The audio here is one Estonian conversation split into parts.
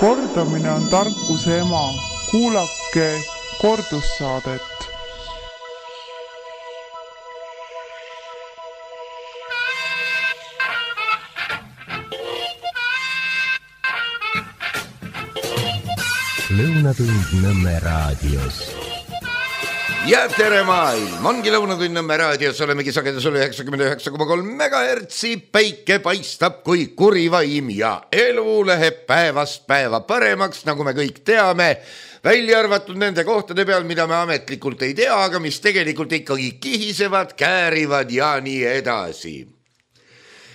Kordamine on tarkuse ema. Kuulake kordussaadet. Lõunatund Nõmme raadios. Ja tere maailm, ongi Lõunatund Nõmme raadios, olemegi sagedus 99,3 MHz, päike paistab kui kuri vaim ja elu läheb päevast päeva paremaks, nagu me kõik teame, välja arvatud nende kohtade peal, mida me ametlikult ei tea, aga mis tegelikult ikkagi kihisevad, käärivad ja nii edasi.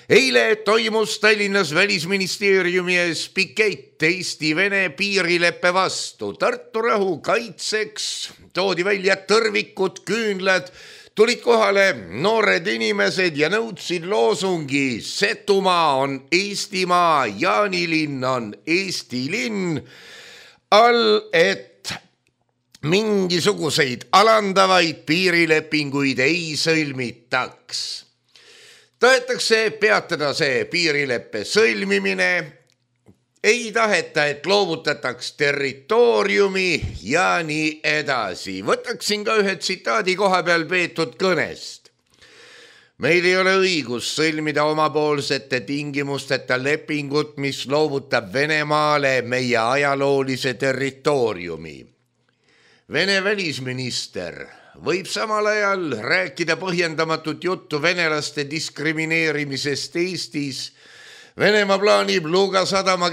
Eile toimus Tallinnas välisministeeriumi ees pikett Eesti-Vene piirileppe vastu. Tartu rahu kaitseks toodi välja tõrvikud, küünlad, tulid kohale noored inimesed ja nõudsid loosungi Setumaa on Eestimaa, Jaanilinn on Eesti linn, all et mingisuguseid alandavaid piirilepinguid ei sõlmitaks. Tahetakse peatada see piirileppe sõlmimine, ei taheta, et loovutataks territooriumi ja nii edasi. Võtaksin ka ühe tsitaadi koha peal peetud kõnest. Meil ei ole õigus sõlmida omapoolsete tingimusteta lepingut, mis loovutab Venemaale meie ajaloolise territooriumi. Vene välisminister võib samal ajal rääkida põhjendamatut juttu venelaste diskrimineerimisest Eestis. Venemaa plaanib Luga sadama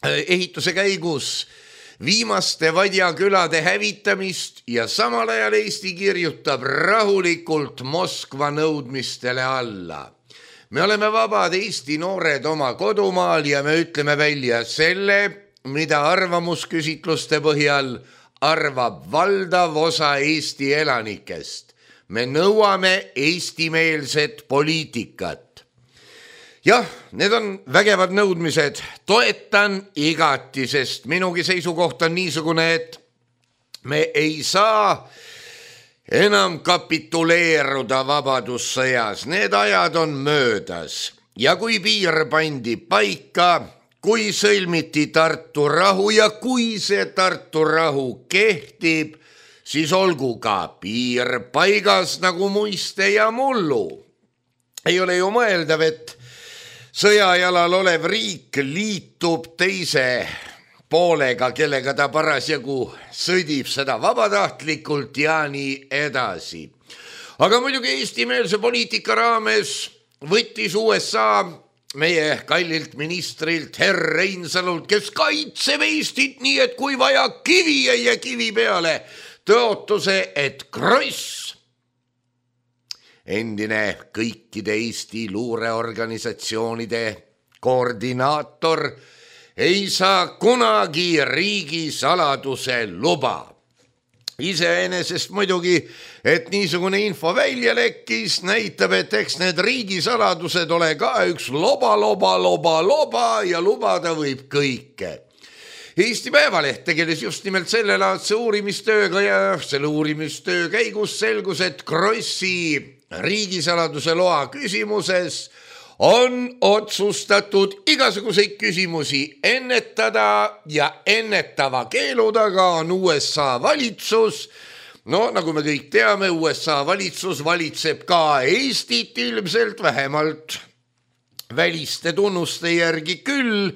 ehituse käigus viimaste vadjakülade hävitamist ja samal ajal Eesti kirjutab rahulikult Moskva nõudmistele alla. Me oleme vabad Eesti noored oma kodumaal ja me ütleme välja selle, mida arvamusküsitluste põhjal arvab valdav osa Eesti elanikest. Me nõuame eestimeelset poliitikat. Jah, need on vägevad nõudmised. Toetan igati, sest minugi seisukoht on niisugune, et me ei saa enam kapituleeruda vabadussõjas. Need ajad on möödas. Ja kui piir pandi paika, kui sõlmiti Tartu rahu ja kui see Tartu rahu kehtib, siis olgu ka piir paigas nagu muiste ja mullu. Ei ole ju mõeldav, et sõjajalal olev riik liitub teise poolega, kellega ta parasjagu sõdib seda vabatahtlikult ja nii edasi. Aga muidugi eestimeelse poliitika raames võttis USA meie kallilt ministrilt Herr Reinsalult, kes kaitseb Eestit nii, et kui vaja kivi ei jää kivi peale, tõotuse, et Kross, endine kõikide Eesti luureorganisatsioonide koordinaator, ei saa kunagi riigisaladuse luba. Iseenesest muidugi, et niisugune info välja lekkis, näitab, et eks need riigisaladused ole ka üks loba ja lubada võib kõike. Eesti Päevaleht tegeles just nimelt sellelaadse uurimistööga ja selle uurimistöö käigus selgus, et Krossi riigisaladuse loa küsimuses on otsustatud igasuguseid küsimusi ennetada ja ennetava keelu taga on USA valitsus. No nagu me kõik teame, USA valitsus valitseb ka Eestit ilmselt vähemalt väliste tunnuste järgi küll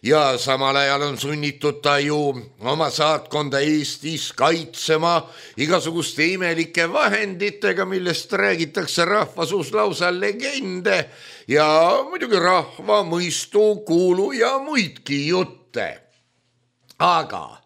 ja samal ajal on sunnitud ta ju oma saatkonda Eestis kaitsema igasuguste imelike vahenditega, millest räägitakse rahvasuus lausa legende ja muidugi rahva mõistu, kuulu ja muidki jutte. Aga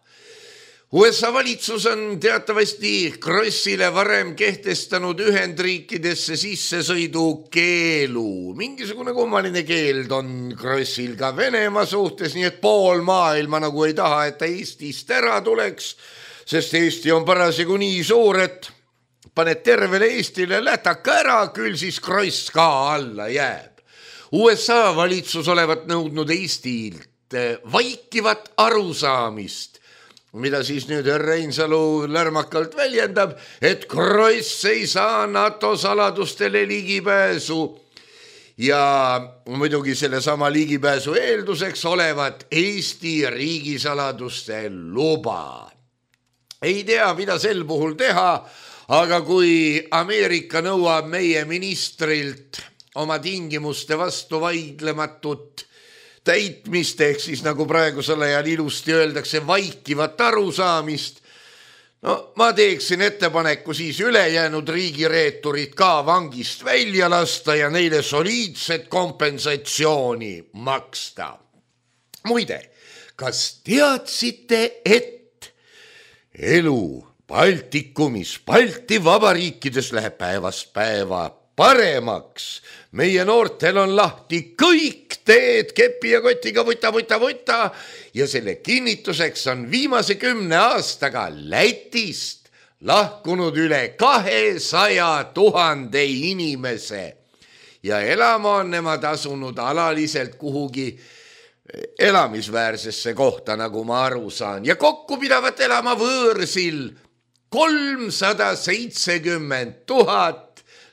USA valitsus on teatavasti Krossile varem kehtestanud Ühendriikidesse sissesõidu keelu. Mingisugune kummaline keeld on Krossil ka Venemaa suhtes, nii et pool maailma nagu ei taha, et ta Eestist ära tuleks, sest Eesti on parasjagu nii suur, et paned tervele Eestile lätaka ära, küll siis Kross ka alla jääb. USA valitsus olevat nõudnud Eestilt vaikivat arusaamist, mida siis nüüd Reinsalu lärmakalt väljendab, et Kross ei saa NATO saladustele ligipääsu ja muidugi selle sama ligipääsu eelduseks olevat Eesti riigisaladuste luba. Ei tea, mida sel puhul teha, aga kui Ameerika nõuab meie ministrilt oma tingimuste vastu vaidlematut täitmist, ehk siis nagu praegusel ajal ilusti öeldakse, vaikivat arusaamist, no ma teeksin ettepaneku siis ülejäänud riigireeturid ka vangist välja lasta ja neile soliidset kompensatsiooni maksta. Muide, kas teadsite, et elu Baltikumis, Balti vabariikides läheb päevast päeva paremaks? Meie noortel on lahti kõik teed kepi ja kotiga võta ja selle kinnituseks on viimase 10 aastaga Lätist lahkunud üle 200 000 inimese ja elama on nemad asunud alaliselt kuhugi elamisväärsesse kohta, nagu ma aru saan, ja kokku pidavat elama võõrsil 370 000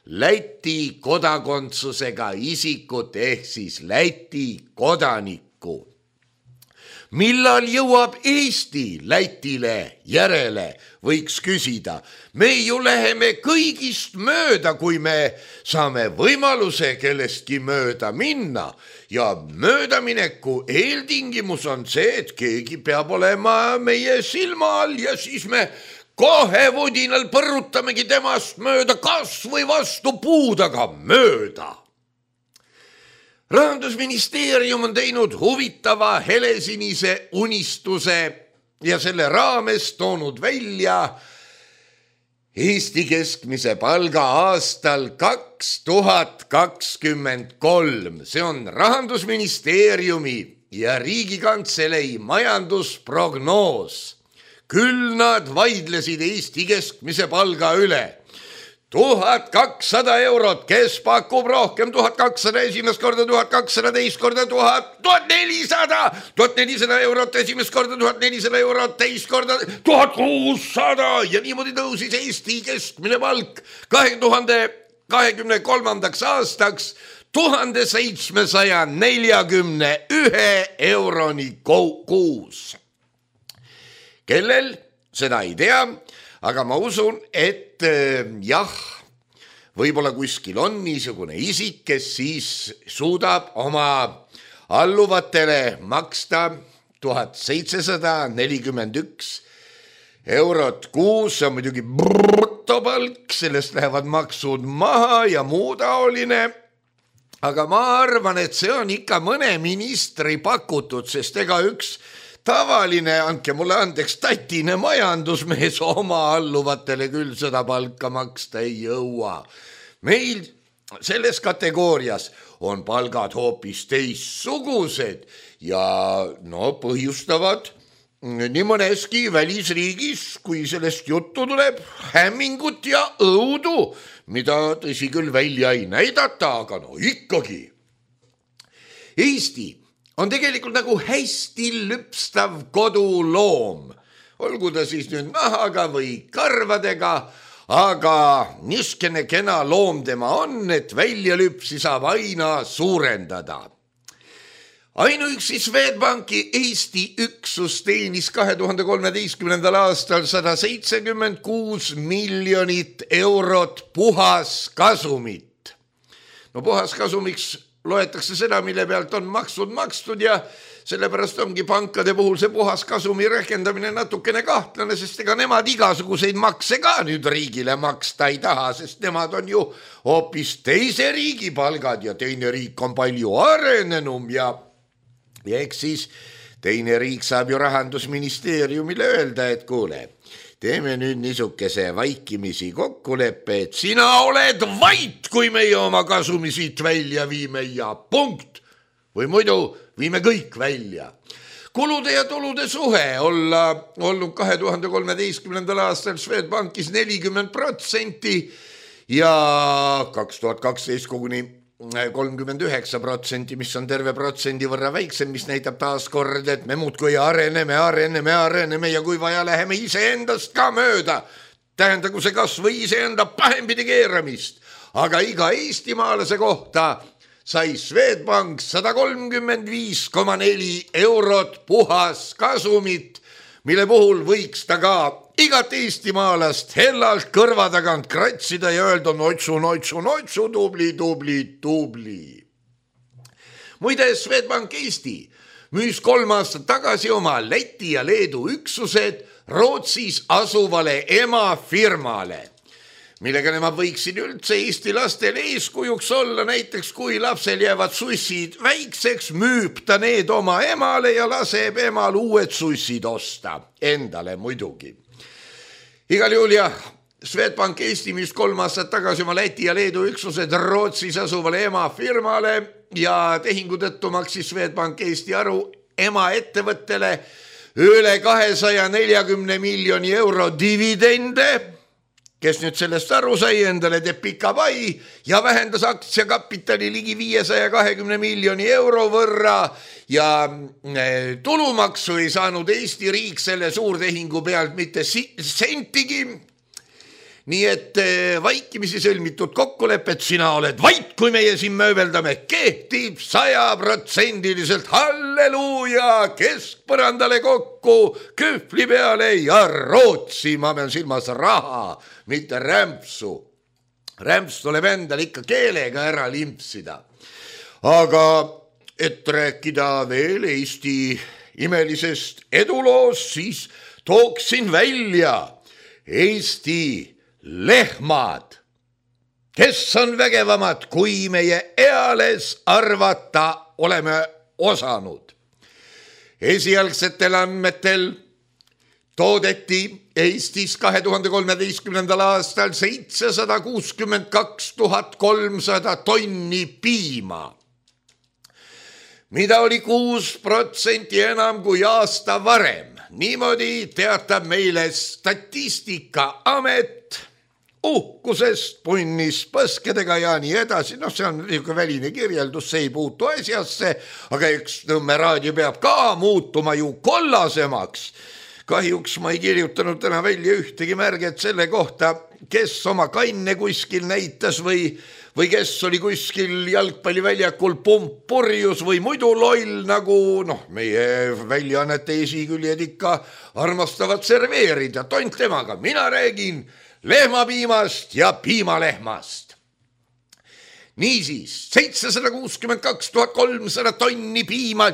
Läti kodakondsusega isikut ehk siis Läti kodanikku. Millal jõuab Eesti Lätile järele, võiks küsida. Me ju läheme kõigist mööda, kui me saame võimaluse kellestki mööda minna ja möödamineku eeltingimus on see, et keegi peab olema meie silma all ja siis me kohe vodinal põrutamegi temast mööda, kas või vastu puud, aga mööda. Rahandusministeerium on teinud huvitava helesinise unistuse ja selle raames toonud välja Eesti keskmise palga aastal 2023. See on Rahandusministeeriumi ja Riigikantselei majandusprognoos. Küll nad vaidlesid Eesti keskmise palga üle. 1200 eurot, kes pakub rohkem, 1200 esimest korda, 1200 teist korda, 1400 eurot esimest korda, 1400 eurot teist korda, 1600 ja niimoodi tõusis Eesti keskmine palk 2023. aastaks 1741 euroni kuus. Kellel, seda ei tea, aga ma usun, et jah, võib-olla kuskil on niisugune isik, kes siis suudab oma alluvatele maksta 1741 eurot kuus, see on muidugi brutopalk, sellest lähevad maksud maha ja muu taoline. Aga ma arvan, et see on ikka mõne ministri pakutud, sest ega üks tavaline, andke mulle andeks, tatine majandusmees oma alluvatele küll seda palka maksta ei jõua. Meil selles kategoorias on palgad hoopis teistsugused ja põhjustavad nii mõneski välisriigis, kui sellest juttu tuleb, hämmingut ja õudu, mida tõsi küll välja ei näidata, aga ikkagi. Eesti on tegelikult nagu hästi lüpstav koduloom, olgu ta siis nüüd nahaga või karvadega, aga niskene kena loom tema on, et väljalüpsi saab aina suurendada. Ainuüksi Swedbanki Eesti üksus teenis 2013. aastal 176 miljonit eurot puhaskasumit. No puhaskasumiks loetakse seda, mille pealt on maksud makstud ja sellepärast ongi pankade puhul see puhaskasumi rehkendamine natukene kahtlane, sest ega nemad igasuguseid makse ka nüüd riigile maksta ei taha, sest nemad on ju hoopis teise riigi palgad ja teine riik on palju arenenum ja eks siis teine riik saab ju Rahandusministeeriumile öelda, et kuule, teeme nüüd niisugese vaikimisi kokkuleppe, et sina oled vait, kui meie oma kasumi siit välja viime ja punkt. Või muidu viime kõik välja. Kulude ja tulude suhe olla olnud 2013. aastal Swedbankis 40% ja 2012 koguni 39%, mis on terve protsendi võrra väiksem, mis näitab taas kord, et me muudkui areneme ja kui vaja läheme iseendast ka mööda. Tähendagu see kas või iseenda pahempidi keeramist, aga iga eestimaalase kohta sai Swedbank 135,4 eurot puhas kasumit, mille puhul võiks ta ka igat eestimaalast hellalt kõrva tagant kratsida ja öelda notsu, tubli. Muide, Swedbank Eesti müüs 3 aastat tagasi oma Läti ja Leedu üksused Rootsis asuvale emafirmale, millega nemad võiksid üldse Eesti lastele eeskujuks olla. Näiteks kui lapsel jäävad sussid väikseks, müüb ta need oma emale ja laseb emal uued sussid osta, endale muidugi. Igal juhul jah, Swedbank Eesti müüs 3 aastat tagasi oma Läti ja Leedu üksused Rootsis asuvale emafirmale ja tehingu tõttu maksis Swedbank Eesti aru emaettevõttele üle 240 miljoni euro dividende. Kes nüüd sellest aru sai, endale teeb pika pai ja vähendas aktsiakapitali ligi 520 miljoni euro võrra ja tulumaksu ei saanud Eesti riik selle suurtehingu pealt mitte sentigi. Nii et vaikimisi sõlmitud kokkulepet, sina oled vait, kui meie siin mööbeldame, kehtib 100%, halleluuja, keskpõrandale kokku, kühvli peale ja Rootsi, ma pean silmas raha, mitte rämpsu. Rämps tuleb endal ikka keelega ära limpsida. Aga et rääkida veel Eesti imelisest eduloost, siis tooksin välja Eesti lehmad, kes on vägevamad, kui meie eales arvata oleme osanud. Esialgsetel andmetel toodeti Eestis 2013. aastal 762 300 tonni piima, mida oli 6% enam kui aasta varem. Niimoodi teatab meile Statistikaamet uhkusest, punnis, põskedega ja nii edasi. See on väline kirjeldus, see ei puutu asjasse, aga üks Nõmme raadio peab ka muutuma ju kollasemaks. Kahjuks ma ei kirjutanud täna välja ühtegi märget selle kohta, kes oma kanne kuskil näitas või kes oli kuskil jalgpalliväljakul purjus või muidu loll, nagu meie väljaannete esiküljed ikka armastavad serveerida. Tont temaga, mina räägin lehmapiimast ja piimalehmast. Niisiis, 762 300 tonni piima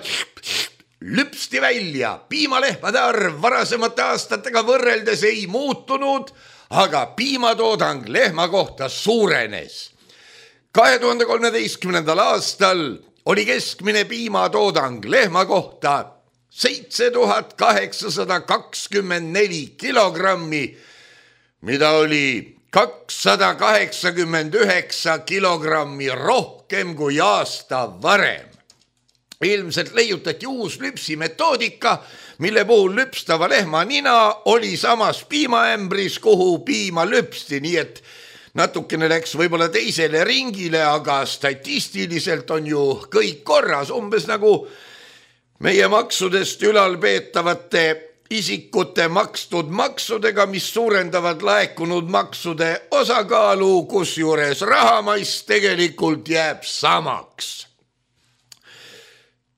lüpsti välja. Piimalehmade arv varasemate aastatega võrreldes ei muutunud, aga piimatoodang lehma kohta suurenes. 2013. aastal oli keskmine piimatoodang lehma kohta 7824 kilogrammi, mida oli 289 kilogrammi rohkem kui aasta varem. Ilmselt leiutati uus lüpsimetoodika, mille puhul lüpstava lehma nina oli samas piimaämbris, kuhu piima lüpsti, nii et natukene läks võib-olla teisele ringile, aga statistiliselt on ju kõik korras, umbes nagu meie maksudest ülalpeetavate isikute makstud maksudega, mis suurendavad laekunud maksude osakaalu, kusjuures rahamass tegelikult jääb samaks.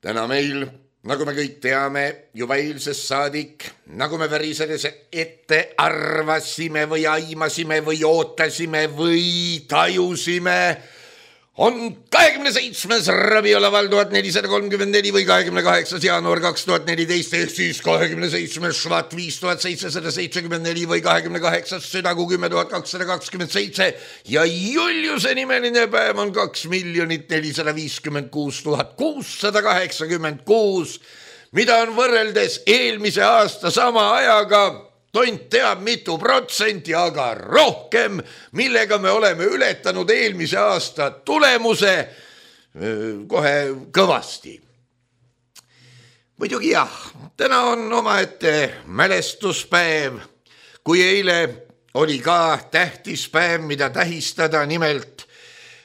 Täna meil, nagu me kõik teame, juba eilsest saadik, nagu me värisedes ette arvasime või aimasime või ootasime või tajusime, on 27. rabiolaval 1434 või 28. jaanuar 2014 ehk siis 27. švat 5774 või 28. südagu 10227 ja Juliuse nimeline päev on 2 456 686, mida on võrreldes eelmise aasta sama ajaga tont teab mitu protsenti, aga rohkem, millega me oleme ületanud eelmise aasta tulemuse kohe kõvasti. Muidugi jah, täna on omaette mälestuspäev, kui eile oli ka tähtis päev, mida tähistada, nimelt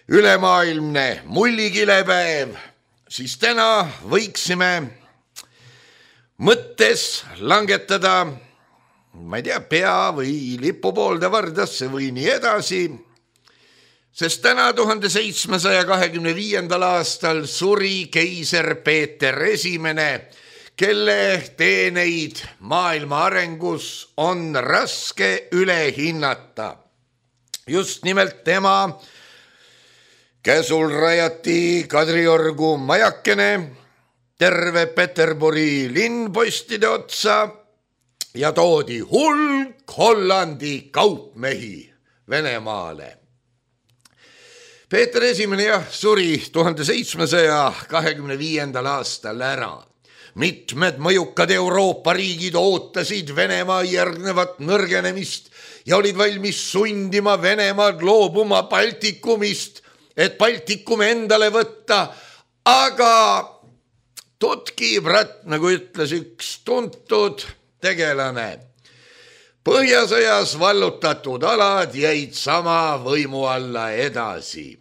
ülemaailmne mullikilepäev, siis täna võiksime mõttes langetada ma ei tea, pea või lipu poolde vardasse või nii edasi, sest täna 1725. aastal suri keiser Peeter Esimene, kelle teeneid maailma arengus on raske üle hinnata. Just nimelt tema käsul rajati Kadriorgu majakene terve Peterburi linnpostide otsa ja toodi hulk Hollandi kaupmehi Venemaale. Peeter Esimene suri 1725. aastal ära. Mitmed mõjukad Euroopa riigid ootasid Venemaa järgnevat nõrgenemist ja olid valmis sundima Venemaad loobuma Baltikumist, et Baltikum endale võtta, aga tutki brat, nagu ütles üks tuntud tegelane. Põhjasõjas vallutatud alad jäid sama võimu alla edasi.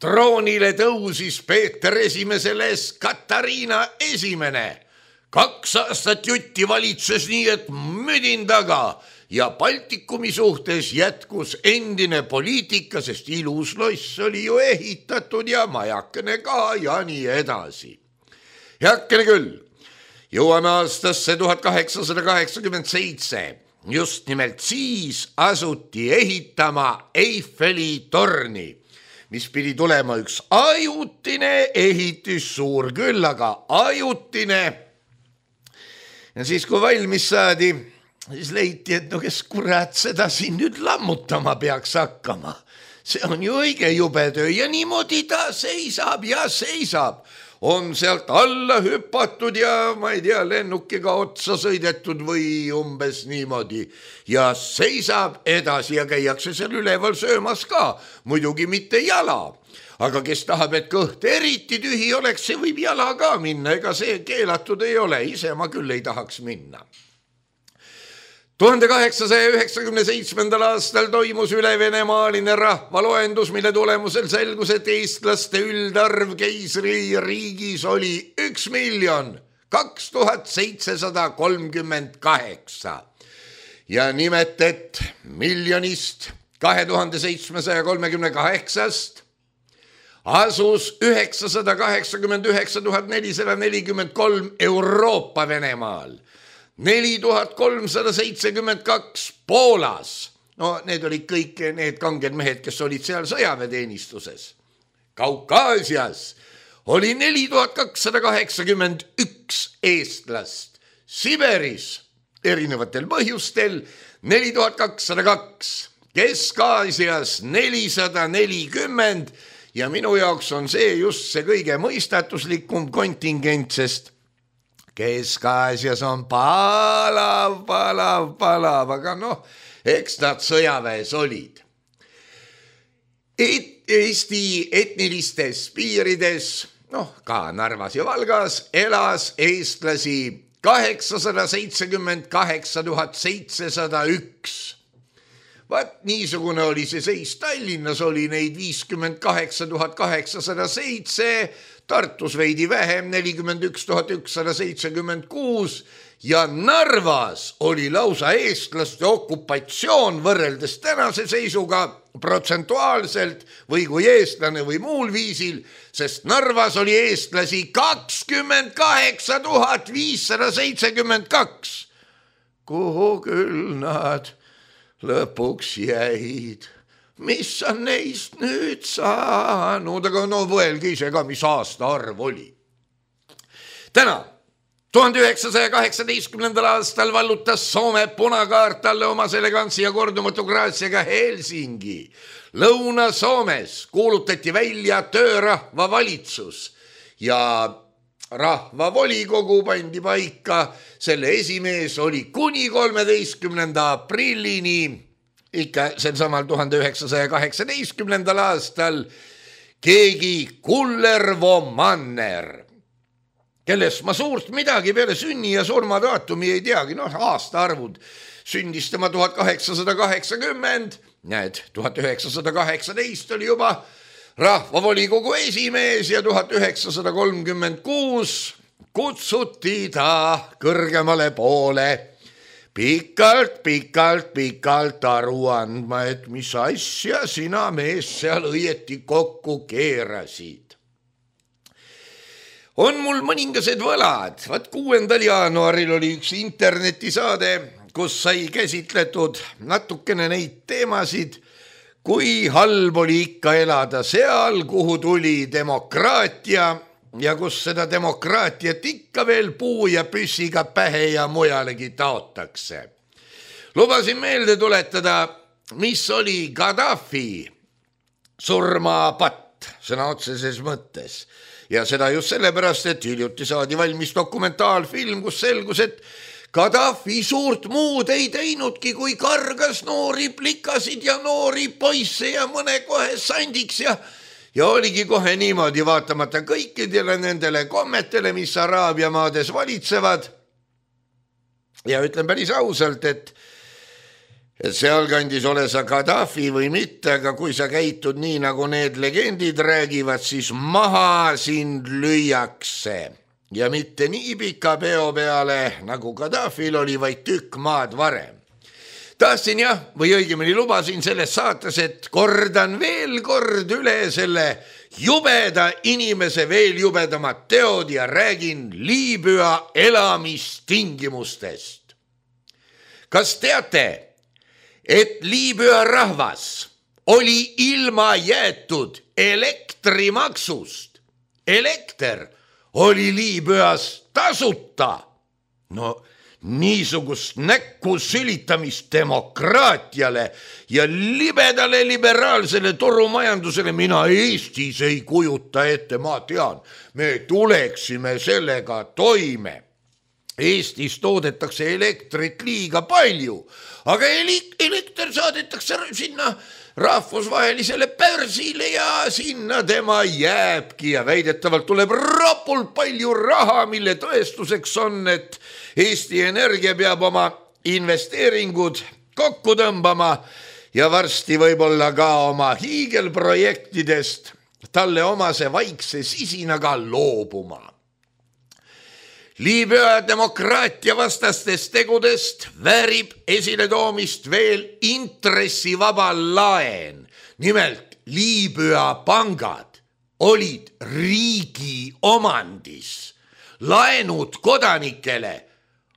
Troonile tõusis Peeter Esimeseles Katariina Esimene. 2 aastat jutti valitses nii, et müdin taga ja Baltikumi suhtes jätkus endine poliitika, sest ilus loss oli ju ehitatud ja majakene ka ja nii edasi. Heakene küll, jõuame aastasse 1887. Just nimelt siis asuti ehitama Eiffeli torni, mis pidi tulema üks ajutine ehitis, suur küll, aga ajutine. Ja siis, kui valmis saadi, siis leiti, et no kes kurat seda siin nüüd lammutama peaks hakkama. See on ju õige jube töö ja niimoodi ta seisab ja seisab. On sealt alla hüpatud ja ma ei tea, lennukiga otsa sõidetud või umbes niimoodi. Ja seisab edasi ja käiakse seal üleval söömas ka, muidugi mitte jala. Aga kes tahab, et kõht eriti tühi oleks, see võib jala ka minna, ega see keelatud ei ole, ise ma küll ei tahaks minna. 1897. aastal toimus ülevenemaaline rahvaloendus, mille tulemusel selgus, et eestlaste üldarv keisririigis oli 1 2738. Ja nimet, et miljonist 2738 asus 989 443 Euroopa Venemaal, 4372 Poolas. No need olid kõik need kanged mehed, kes olid seal sõjaväeteenistuses. Kaukaasias oli 4281 eestlast. Siberis erinevatel põhjustel 4202. Kesk-Aasias 440 ja minu jaoks on see just see kõige mõistatuslikum kontingent, sest Kesk-Aasias on palav, aga noh, eks nad sõjaväes olid. Eesti etnilistes piirides, ka Narvas ja Valgas, elas eestlasi 878 701. Vaat niisugune oli see seis. Tallinnas oli neid 58 807, Tartus veidi vähem, 41 176 ja Narvas oli lausa eestlaste okupatsioon võrreldes tänase seisuga protsentuaalselt või kui eestlane või muul viisil, sest Narvas oli eestlasi 28 572. Kuhu küll nad lõpuks jäid? Mis on neist nüüd saanud? Aga võelge ise ka, mis aasta arv oli. Täna, 1918. aastal vallutas Soome punakaart talle omas elegantsi ja kordumatu graatsiaga Helsingi. Lõuna-Soomes kuulutati välja töörahvavalitsus ja rahvavolikogu pandi paika. Selle esimees oli kuni 13. aprillini ikka sel samal 1918. aastal keegi Kullervo Manner, kellest ma suurt midagi peale sünni ja surmadaatumi ei teagi. Aastaarvud sündis tema 1880, näed, 1918 oli juba rahvavolikogu esimees ja 1936 kutsuti ta kõrgemale poole pikalt aru andma, et mis asja sina mees seal õieti kokku keerasid. On mul mõningased võlad. 6. jaanuaril oli üks internetisaade, kus sai käsitletud natukene neid teemasid, kui halb oli ikka elada seal, kuhu tuli demokraatia ja kus seda demokraatiat ikka veel puu ja püssiga pähe ja mujalegi taotakse. Lubasin meelde tuletada, mis oli Gaddafi surmapatt sõna otseses mõttes. Ja seda just sellepärast, et hiljuti saadi valmis dokumentaalfilm, kus selgus, et Gaddafi suurt muud ei teinudki, kui kargas noori plikasid ja noori poisse ja mõne kohe sandiks ja oligi kohe niimoodi, vaatamata kõikidele nendele kommetele, mis Araabia maades valitsevad. Ja ütlen päris ausalt, et sealkandis ole sa Gaddafi või mitte, aga kui sa käitud nii, nagu need legendid räägivad, siis maha sind lüüakse. Ja mitte nii pika peo peale, nagu Gaddafil oli, vaid tükk maad varem. Tahtsin või õigemini lubasin selles saates, et kordan veel kord üle selle jubeda inimese veel jubedamad teod ja räägin Liibüa elamistingimustest. Kas teate, et Liibüa rahvas oli ilma jäetud elektrimaksust? Elekter oli Liibüas tasuta. No niisugust näkku sülitamist demokraatiale ja libedale liberaalsele turumajandusele mina Eestis ei kujuta ette, ma tean, me tuleksime sellega toime. Eestis toodetakse elektrit liiga palju, aga elekter saadetakse sinna rahvusvahelisele börsile ja sinna tema jääbki ja väidetavalt tuleb rapult palju raha, mille tõestuseks on, et Eesti Energia peab oma investeeringud kokku tõmbama ja varsti võib-olla ka oma hiigelprojektidest talle omase vaikse sisinaga loobuma. Liibüa demokraatia vastastest tegudest väärib esiletoomist veel intressivaba laen. Nimelt Liibüa pangad olid riigi omandis. Laenud kodanikele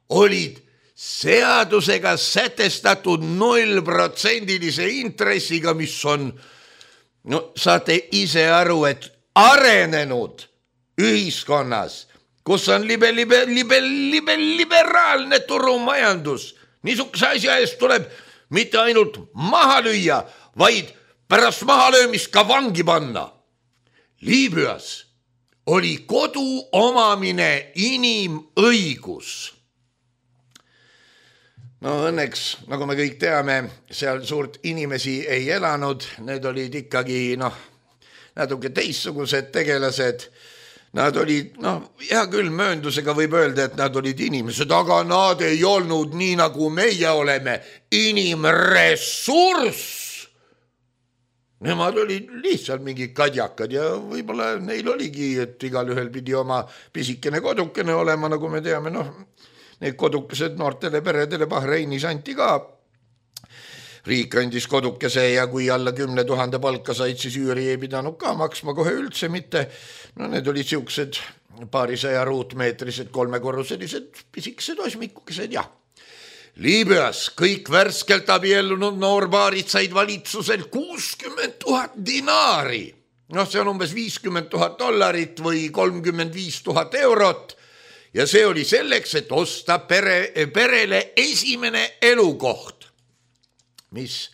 olid seadusega sätestatud 0% intressiga, mis on, saate ise aru, et arenenud ühiskonnas, kus on liberaalne turumajandus. Niisuguse asja eest tuleb mitte ainult maha lüüa, vaid pärast mahalöömist ka vangi panna. Liibüas oli kodu omamine inimõigus. No õnneks, nagu me kõik teame, seal suurt inimesi ei elanud. Need olid ikkagi natuke teistsugused tegelased. Nad olid, hea küll, mööndusega võib öelda, et nad olid inimesed, aga nad ei olnud nii, nagu meie oleme, inimressurss. Nemad olid lihtsalt mingid kadjakad ja võib-olla neil oligi, et igal ühel pidi oma pisikene kodukene olema, nagu me teame, need kodukesed noortele peredele Bahreinis anti ka. Riik andis kodukese ja kui alla 10 000 palka said, siis üüri ei pidanud ka maksma kohe üldse mitte. Need olid siuksed paarisaja ruutmeetrised, 3-korruselised pisikesed osmikukesed ja. Liibüas kõik värskelt abiellunud noorbaarid said valitsuselt 60 000 dinaari. See on umbes $50,000 või 35 000 eurot. Ja see oli selleks, et osta perele esimene elukoht, mis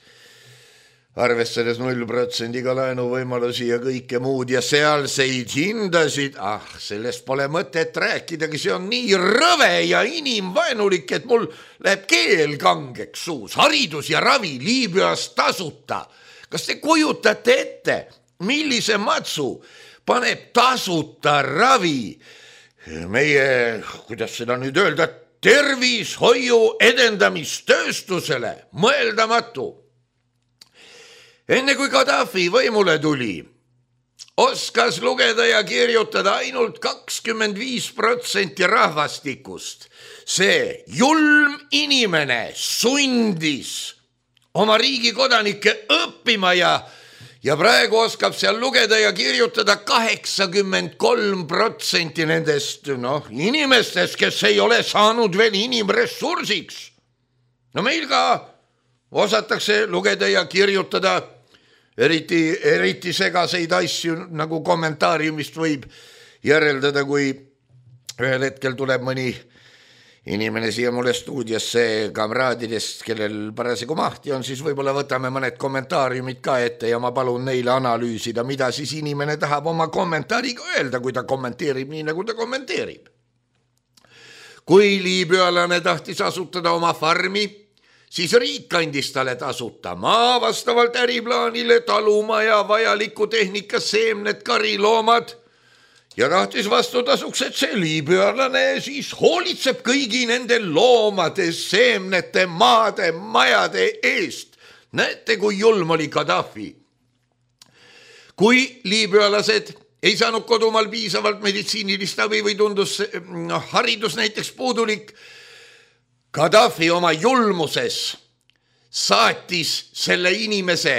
arvestades 0% laenuvõimalusi ja kõike muud ja sealseid hindasid, sellest pole mõtet rääkidagi, see on nii rõve ja inimvaenulik, et mul läheb keel kangeks suus. Haridus ja ravi Liibüas tasuta. Kas te kujutate ette, millise matsu paneb tasuta ravi meie, kuidas seda nüüd öelda, tervishoiu edendamistööstusele? Mõeldamatu. Enne kui Gaddafi võimule tuli, oskas lugeda ja kirjutada ainult 25% rahvastikust. See julm inimene sundis oma riigi kodanikke õppima ja praegu oskab seal lugeda ja kirjutada 83% nendest inimestest, kes ei ole saanud veel inimressursiks. No meil ka osatakse lugeda ja kirjutada eriti segaseid asju, nagu kommentaariumist võib järeldada, kui ühel hetkel tuleb mõni inimene siia mulle stuudiosse kamraadidest, kellel parasjagu mahti on, siis võib-olla võtame mõned kommentaariumid ka ette ja ma palun neile analüüsida, mida siis inimene tahab oma kommentaariga öelda, kui ta kommenteerib nii, nagu ta kommenteerib. Kui liibüalane tahtis asutada oma farmi, siis riik andis talle tasuta maa vastavalt äriplaanile, talumaja, vajaliku tehnika, seemned, kariloomad ja tahtis vastutasuks, et see liibüalane siis hoolitseb kõigi nende loomade, seemnete, maade, majade eest. Näete, kui julm oli Gaddafi. Kui liibüalased ei saanud kodumaal piisavalt meditsiinilist abi või tundus haridus näiteks puudulik, Gaddafi oma julmuses saatis selle inimese,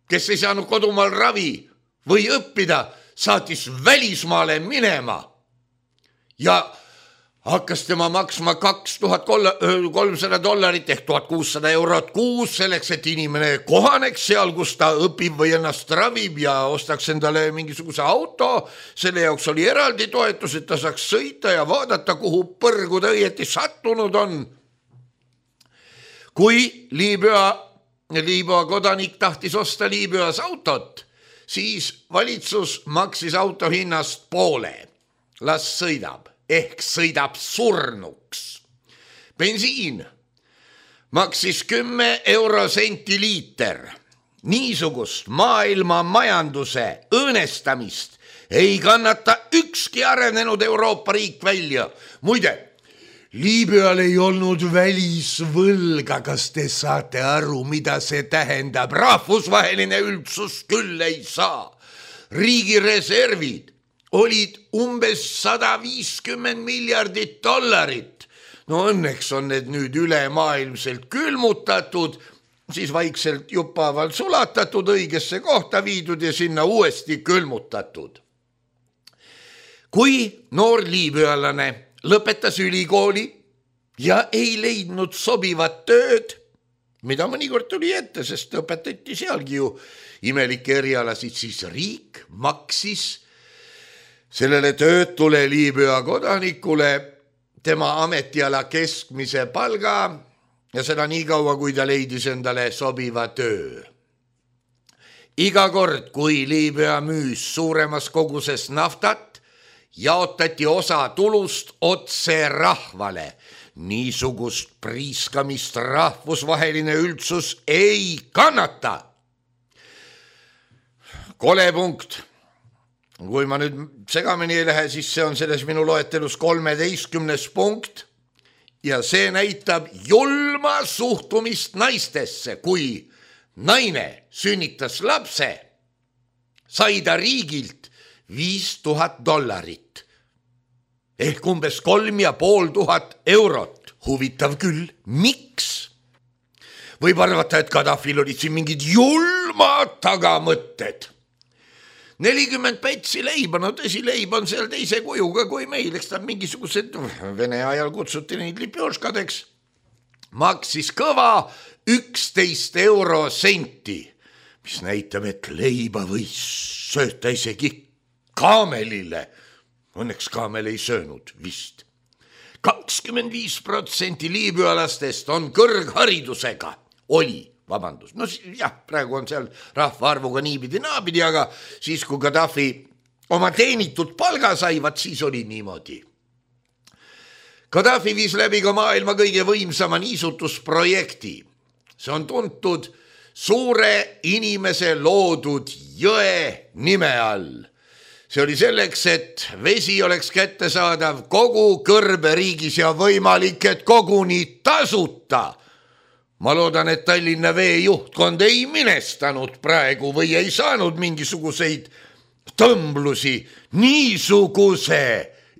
kes ei saanud kodumaal ravi või õppida, saatis välismaale minema ja hakkas tema maksma $2300 ehk €1600 kuus selleks, et inimene kohaneks seal, kus ta õpib või ennast ravib ja ostaks endale mingisuguse auto. Selle jaoks oli eraldi toetus, et ta saaks sõita ja vaadata, kuhu põrgu ta õieti sattunud on. Kui Liibüa kodanik tahtis osta Liibüas autot, siis valitsus maksis auto hinnast poole. Las sõidab, ehk sõidab surnuks. Bensiin maksis 10 eurosenti liiter. Niisugust maailma majanduse õõnestamist ei kannata ükski arenenud Euroopa riik välja. Muide, Liibüal ei olnud välisvõlga, kas te saate aru, mida see tähendab? Rahvusvaheline üldsus küll ei saa. Riigi reservid olid umbes $150 miljardit. No õnneks on need nüüd ülemaailmselt külmutatud, siis vaikselt juppavalt sulatatud, õigesse kohta viidud ja sinna uuesti külmutatud. Kui noor liibüalane lõpetas ülikooli ja ei leidnud sobivat tööd, mida mõnikord tuli ette, sest õpetati sealgi ju imelikke erialasid, siis riik maksis sellele töötule Liibüa kodanikule tema ametiala keskmise palga ja seda nii kaua, kui ta leidis endale sobiva töö. Iga kord, kui Liibüa müüs suuremas koguses naftat, jaotati osa tulust otse rahvale. Niisugust priiskamist rahvusvaheline üldsus ei kannata. Kole punkt. Kui ma nüüd segamini ei lähe, siis see on selles minu loetelus 13. punkt ja see näitab julma suhtumist naistesse. Kui naine sünnitas lapse, sai ta riigilt $5000 ehk umbes 3500 eurot. Huvitav küll, miks? Võib arvata, et Gaddafil olid siin mingid julmad tagamõtted. 40 pätsi leiba, no tõsi, leib on seal teise kujuga kui meil, eks ta mingisugused Vene ajal kutsuti neid lipjoškadeks. Maksis kõva 11 eurosenti, mis näitab, et leiba võis sööta isegi kaamelile. Õnneks kaamel ei söönud vist. 25% liibüalastest on kõrgharidusega. No jah, praegu on seal rahvaarvuga niipidi naapidi, aga siis kui Gaddafi oma teenitud palga saivad, siis oli niimoodi. Gaddafi viis läbi ka maailma kõige võimsama niisutusprojekti. See on tuntud suure inimese loodud jõe nime all. See oli selleks, et vesi oleks kättesaadav kogu kõrberiigis ja võimalik, et koguni tasuta. Ma loodan, et Tallinna Vee juhtkond ei minestanud praegu või ei saanud mingisuguseid tõmblusi niisuguse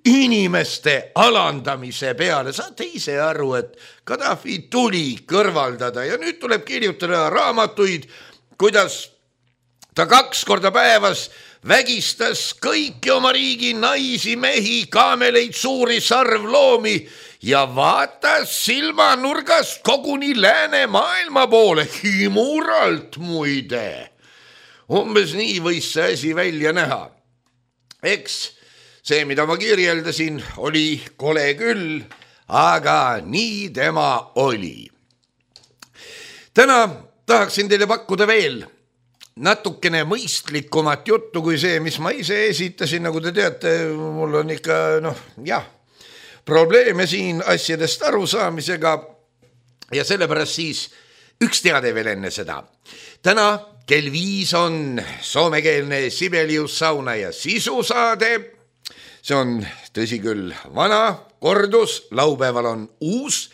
inimeste alandamise peale. Saate ise aru, et Gaddafi tuli kõrvaldada ja nüüd tuleb kirjutada raamatuid, kuidas ta 2 korda päevas vägistas kõiki oma riigi naisi, mehi, kaameleid, suuri sarvloomi ja vaatas silmanurgast koguni läänemaailma poole, himuralt muide. Umbes nii võis see asi välja näha. Eks see, mida ma kirjeldasin, oli kole küll, aga nii tema oli. Täna tahaksin teile pakkuda veel natukene mõistlikumat juttu kui see, mis ma ise esitasin. Nagu te teate, mul on ikka, probleeme siin asjadest arusaamisega ja sellepärast siis üks teade veel enne seda. Täna kell 5 on soomekeelne Sibelius sauna ja sisusaade. See on tõsi küll vana kordus, laupäeval on uus,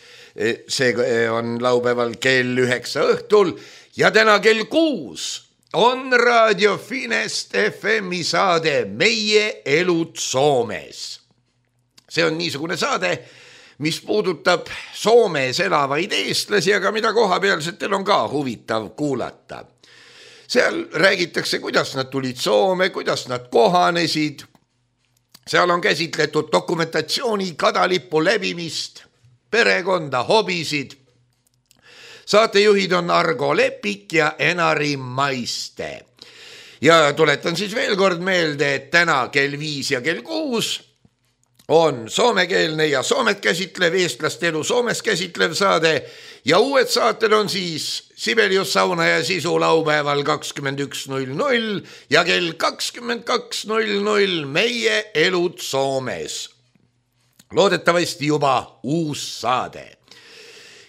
see on laupäeval kell 9 õhtul ja täna kell 6 on Raadio Finest FM-i saade Meie elud Soomes. See on niisugune saade, mis puudutab Soomes elavaid eestlasi, aga mida kohapealsetel on ka huvitav kuulata. Seal räägitakse, kuidas nad tulid Soome, kuidas nad kohanesid. Seal on käsitletud dokumentatsiooni, kadalipu läbimist, perekonda, hobisid. Saatejuhid on Argo Lepik ja Enari Maiste. Ja tuletan siis veel kord meelde, et täna kell 5 ja kell 6 on soomekeelne ja Soomet käsitlev, eestlaste elu Soomes käsitlev saade ja uued saated on siis Sibelius sauna ja sisu laupäeval 21.00 ja kell 22.00 Meie elud Soomes. Loodetavasti juba uus saade.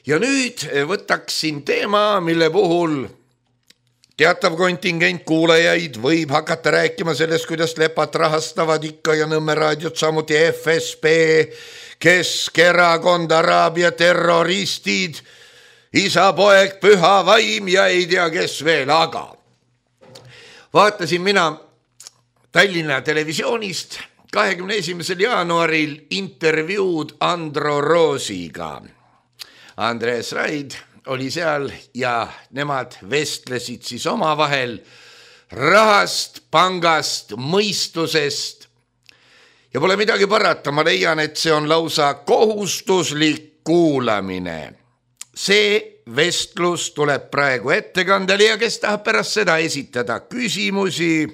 Ja nüüd võtaksin teema, mille puhul teatav kontingent kuulajaid võib hakata rääkima sellest, kuidas Lepat rahastavad ikka ja Nõmme raadiot, samuti FSB, Keskerakond, Araabia terroristid, isa, poeg, püha vaim ja ei tea kes veel, aga vaatasin mina Tallinna televisioonist 21. jaanuaril intervjuud Andro Roosiga. Andres Raid oli seal ja nemad vestlesid siis omavahel rahast, pangast, mõistusest. Ja pole midagi parata, ma leian, et see on lausa kohustuslik kuulamine. See vestlus tuleb praegu ettekandele ja kes tahab pärast seda esitada küsimusi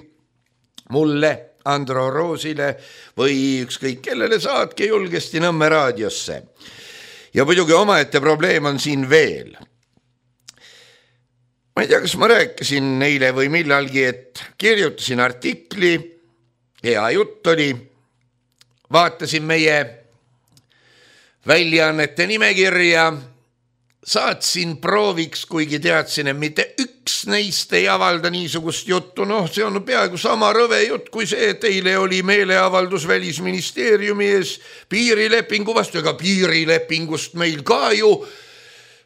mulle, Andro Roosile või ükskõik kellele, saatke julgesti Nõmme raadiosse. Ja muidugi omaette probleem on siin veel. Ma ei tea, kas ma rääkisin neile või millalgi, et kirjutasin artikli, hea jutt oli, vaatasin meie väljaannete nimekirja, saatsin prooviks, kuigi teadsin, et mitte üks neist ei avalda niisugust juttu. See on peaaegu sama rõve jutt kui see, et eile oli meeleavaldus Välisministeeriumi ees piirilepingu vastu, ega piirilepingust meil ka ju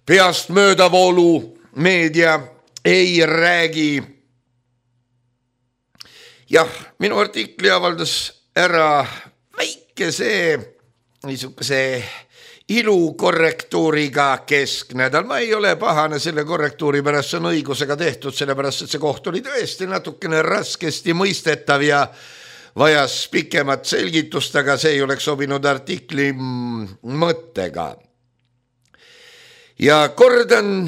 peast möödavoolu meedia ei räägi. Jah, minu artikli avaldas ära väikese niisuguse ilukorrektuuriga Kesknädal. Ma ei ole pahane selle korrektuuri pärast, see on õigusega tehtud, sellepärast, et see koht oli tõesti natukene raskesti mõistetav ja vajas pikemat selgitust, aga see ei oleks sobinud artikli mõttega. Ja kordan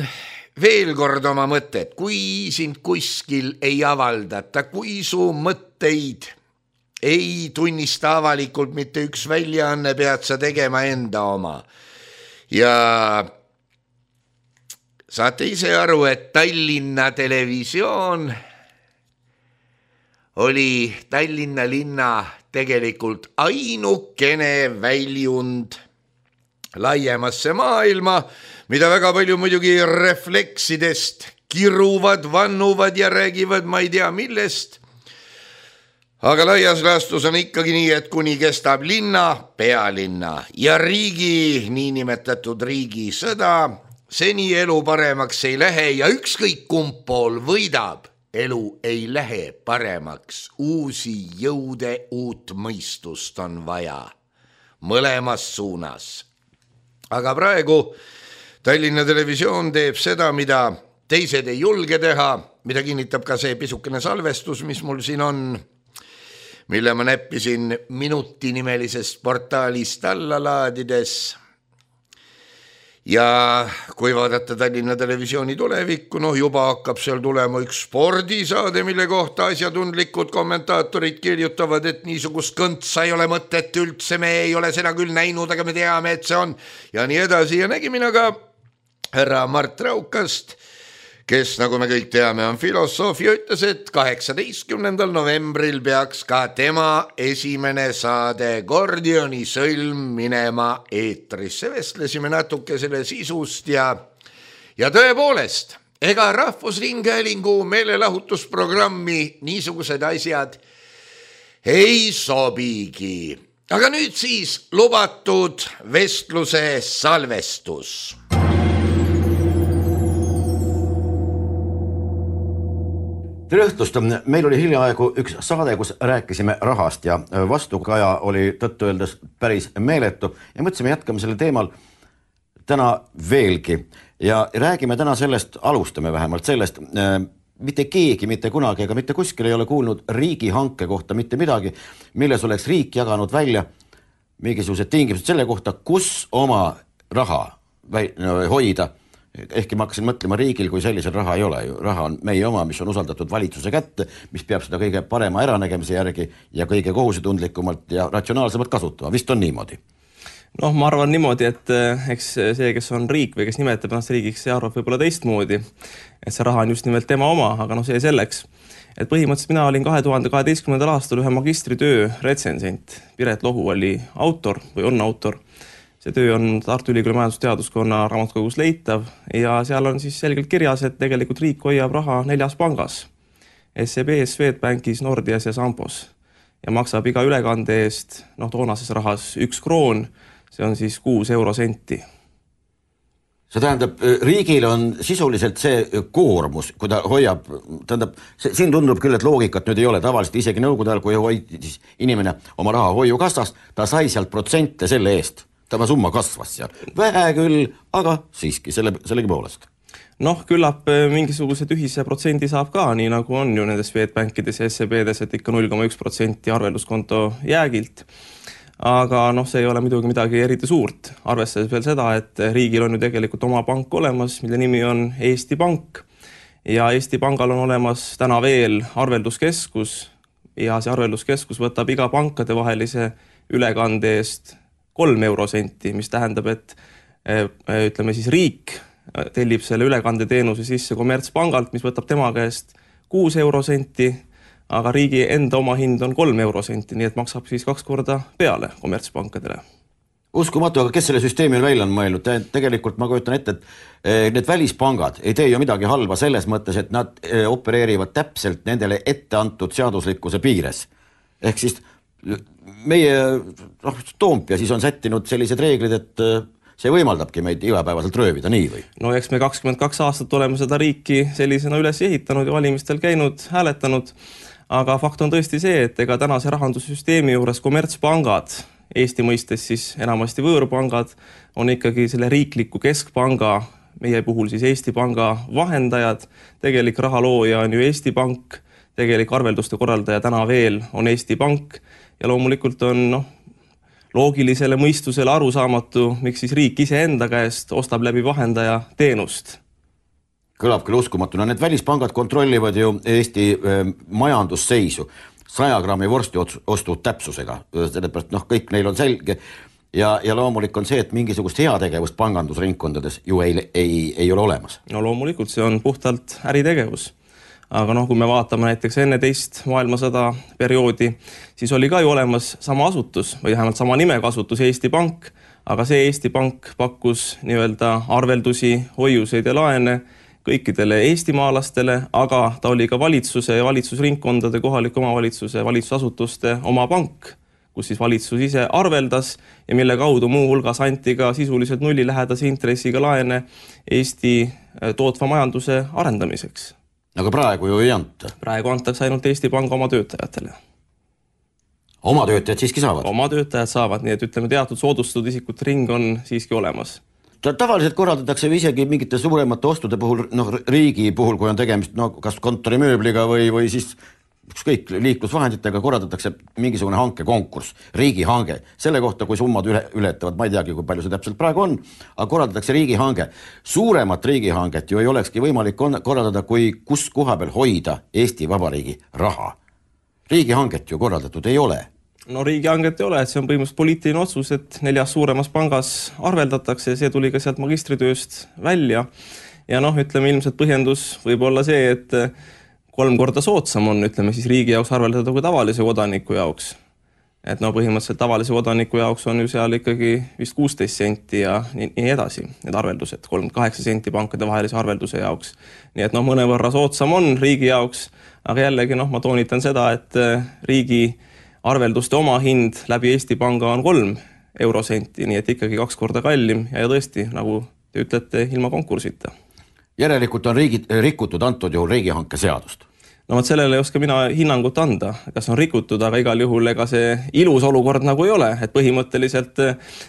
veel kord oma mõtted, kui sind kuskil ei avaldata, kui su mõtteid ei tunnista avalikult mitte üks väljaanne, pead sa tegema enda oma. Ja saate ise aru, et Tallinna televisioon oli Tallinna linna tegelikult ainukene väljund laiemasse maailma, mida väga palju muidugi refleksidest kiruvad, vannuvad ja räägivad ma ei tea millest. Aga laias laastus on ikkagi nii, et kuni kestab linna, pealinna ja riigi, niinimetatud riigisõda, seni elu paremaks ei lähe ja ükskõik kumb pool võidab, elu ei lähe paremaks, uusi jõude, uut mõistust on vaja mõlemas suunas. Aga praegu Tallinna Televisioon teeb seda, mida teised ei julge teha, mida kinnitab ka see pisukene salvestus, mis mul siin on, mille ma näppisin Minuti nimelisest portaalist alla laadides. Ja kui vaadata Tallinna Televisiooni tulevikku, juba hakkab seal tulema üks spordisaade, mille kohta asjatundlikud kommentaatorid kirjutavad, et niisugust kõntsa ei ole mõtet üldse, me ei ole seda küll näinud, aga me teame, et see on ja nii edasi. Ja nägime ka härra Mart Raukast, kes, nagu me kõik teame, on filosoof ja ütles, et 18. novembril peaks ka tema esimene saade Gordioni sõlm minema eetrisse. Vestlesime natuke selle sisust ja tõepoolest, ega Rahvusringhäälingu meelelahutusprogrammi niisugused asjad ei sobigi. Aga nüüd siis lubatud vestluse salvestus. Tere õhtust, meil oli hiljaaegu üks saade, kus rääkisime rahast ja vastukaja oli tõttu öeldes päris meeletu ja mõtlesime jätkame selle teemal täna veelgi ja räägime täna sellest, alustame vähemalt sellest, mitte keegi, mitte kunagi ega mitte kuskil ei ole kuulnud riigihanke kohta mitte midagi, milles oleks riik jaganud välja mingisugused tingimused selle kohta, kus oma raha hoida. Ehkki ma hakkasin mõtlema riigil, kui sellisel raha ei ole. Raha on meie oma, mis on usaldatud valitsuse kätte, mis peab seda kõige parema äranägemise järgi ja kõige kohusetundlikumalt ja ratsionaalsemalt kasutama. Vist on niimoodi? Ma arvan niimoodi, et eks see, kes on riik või kes nimetab ennast riigiks, see arvab võib-olla teistmoodi. Et see raha on just nimelt tema oma, aga see selleks. Et põhimõtteliselt mina olin 2012. aastal ühe magistritöö retsensent. Piret Lohu oli autor või on autor. See töö on Tartu Ülikooli majandusteaduskonna raamatukogus leitav ja seal on siis selgelt kirjas, et tegelikult riik hoiab raha 4 pangas. SEB-s, Swedbankis, Nordias ja Sambos. Ja maksab iga ülekande eest, toonases rahas 1 kroon, see on siis 6 eurosenti. See tähendab, riigil on sisuliselt see koormus, kui ta hoiab, siin tundub küll, et loogikat nüüd ei ole tavaliselt, isegi nõukogude ajal, kui hoidis inimene oma raha hoiukassast, ta sai sealt protsente selle eest. Tämä summa kasvas seal. Vähe küll, aga siiski sellegi poolest. Küllap mingisugused ühise protsendi saab ka, nii nagu on ju nendes Swedbankides ja SEB-des, et ikka 0,1% arvelduskonto jäägilt. Aga see ei ole muidugi midagi eriti suurt. Arvestades veel seda, et riigil on ju tegelikult oma pank olemas, mille nimi on Eesti Pank. Ja Eesti Pangal on olemas täna veel arvelduskeskus ja see arvelduskeskus võtab iga pankade vahelise ülekande eest 3 eurosenti, mis tähendab, et ütleme siis riik tellib selle ülekandeteenuse sisse kommertspangalt, mis võtab tema käest 6 eurosenti, aga riigi enda oma hind on 3 eurosenti, nii et maksab siis 2 korda peale kommertspankadele. Uskumatu, aga kes selle süsteemi välja on mõelnud? Tegelikult ma kujutan ette, et need välispangad ei tee ju midagi halba selles mõttes, et nad opereerivad täpselt nendele ette antud seaduslikkuse piires. Ehk siis meie Toompia siis on sättinud sellised reeglid, et see võimaldabki meid igapäevaselt röövida, nii või? Eks me 22 aastat oleme seda riiki sellisena üles ehitanud ja valimistel käinud, hääletanud, aga fakt on tõesti see, et ega tänase rahandussüsteemi juures kommertspangad, Eesti mõistes siis enamasti võõrpangad, on ikkagi selle riikliku keskpanga, meie puhul siis Eesti Panga vahendajad, tegelik rahalooja on ju Eesti Pank, tegelik arvelduste korraldaja täna veel on Eesti Pank ja loomulikult on loogilisele mõistusele arusaamatu, miks siis riik ise enda käest ostab läbi vahendaja teenust. Kõlab küll uskumatuna. Need välispangad kontrollivad ju Eesti majandusseisu 100 grammi vorsti ostu täpsusega. Sellepärast kõik neil on selge ja loomulik on see, et mingisugust heategevust pangandusringkondades ju ei ole olemas. Loomulikult see on puhtalt äritegevus. Aga kui me vaatame näiteks enne teist maailmasõda perioodi, siis oli ka ju olemas sama asutus või vähemalt sama nimega asutus Eesti Pank, aga see Eesti Pank pakkus nii-öelda arveldusi, hoiuseid ja laene kõikidele eestimaalastele, aga ta oli ka valitsuse ja valitsusringkondade, kohaliku omavalitsuse, valitsusasutuste oma pank, kus siis valitsus ise arveldas ja mille kaudu muu hulgas anti ka sisuliselt nullilähedase intressiga laene Eesti tootva majanduse arendamiseks. Aga praegu ju ei anta. Praegu antakse ainult Eesti Panga oma töötajatele. Oma töötajad siiski saavad? Oma töötajad saavad, nii et ütleme teatud soodustatud isikute ring on siiski olemas. Tavaliselt korraldatakse isegi mingite suuremate ostude puhul, riigi puhul, kui on tegemist kas kontorimööbliga või siis ükskõik liiklusvahenditega, korraldatakse mingisugune hankekonkurss, riigihange. Selle kohta, kui summad ületavad, ma ei teagi, kui palju see täpselt praegu on, aga korraldatakse riigihange. Suuremat riigihanget ju ei olekski võimalik korraldada, kui kus koha peal hoida Eesti Vabariigi raha. Riigihanget ju korraldatud ei ole. No riigihanget ei ole, et see on põhimõtteliselt poliitiline otsus, et 4 suuremas pangas arveldatakse ja see tuli ka sealt magistritööst välja. Ja ütleme ilmselt põhjendus võib olla see, et 3 korda soodsam on, ütleme siis riigi jaoks arveldada kui tavalise kodaniku jaoks. Et põhimõtteliselt tavalise kodaniku jaoks on ju seal ikkagi vist 16 senti ja nii edasi, need arveldused, 38 senti pankade vahelise arvelduse jaoks. Nii et mõnevõrra soodsam on riigi jaoks, aga jällegi ma toonitan seda, et riigi arvelduste oma hind läbi Eesti Panga on 3 eurosenti, nii et ikkagi 2 korda kallim ja tõesti, nagu te ütlete, ilma konkursita. Järelikult on rikutud antud juhul riigihanke seadust. No sellele ei oska mina hinnangut anda, kas on rikutud, aga igal juhul ega see ilus olukord nagu ei ole, et põhimõtteliselt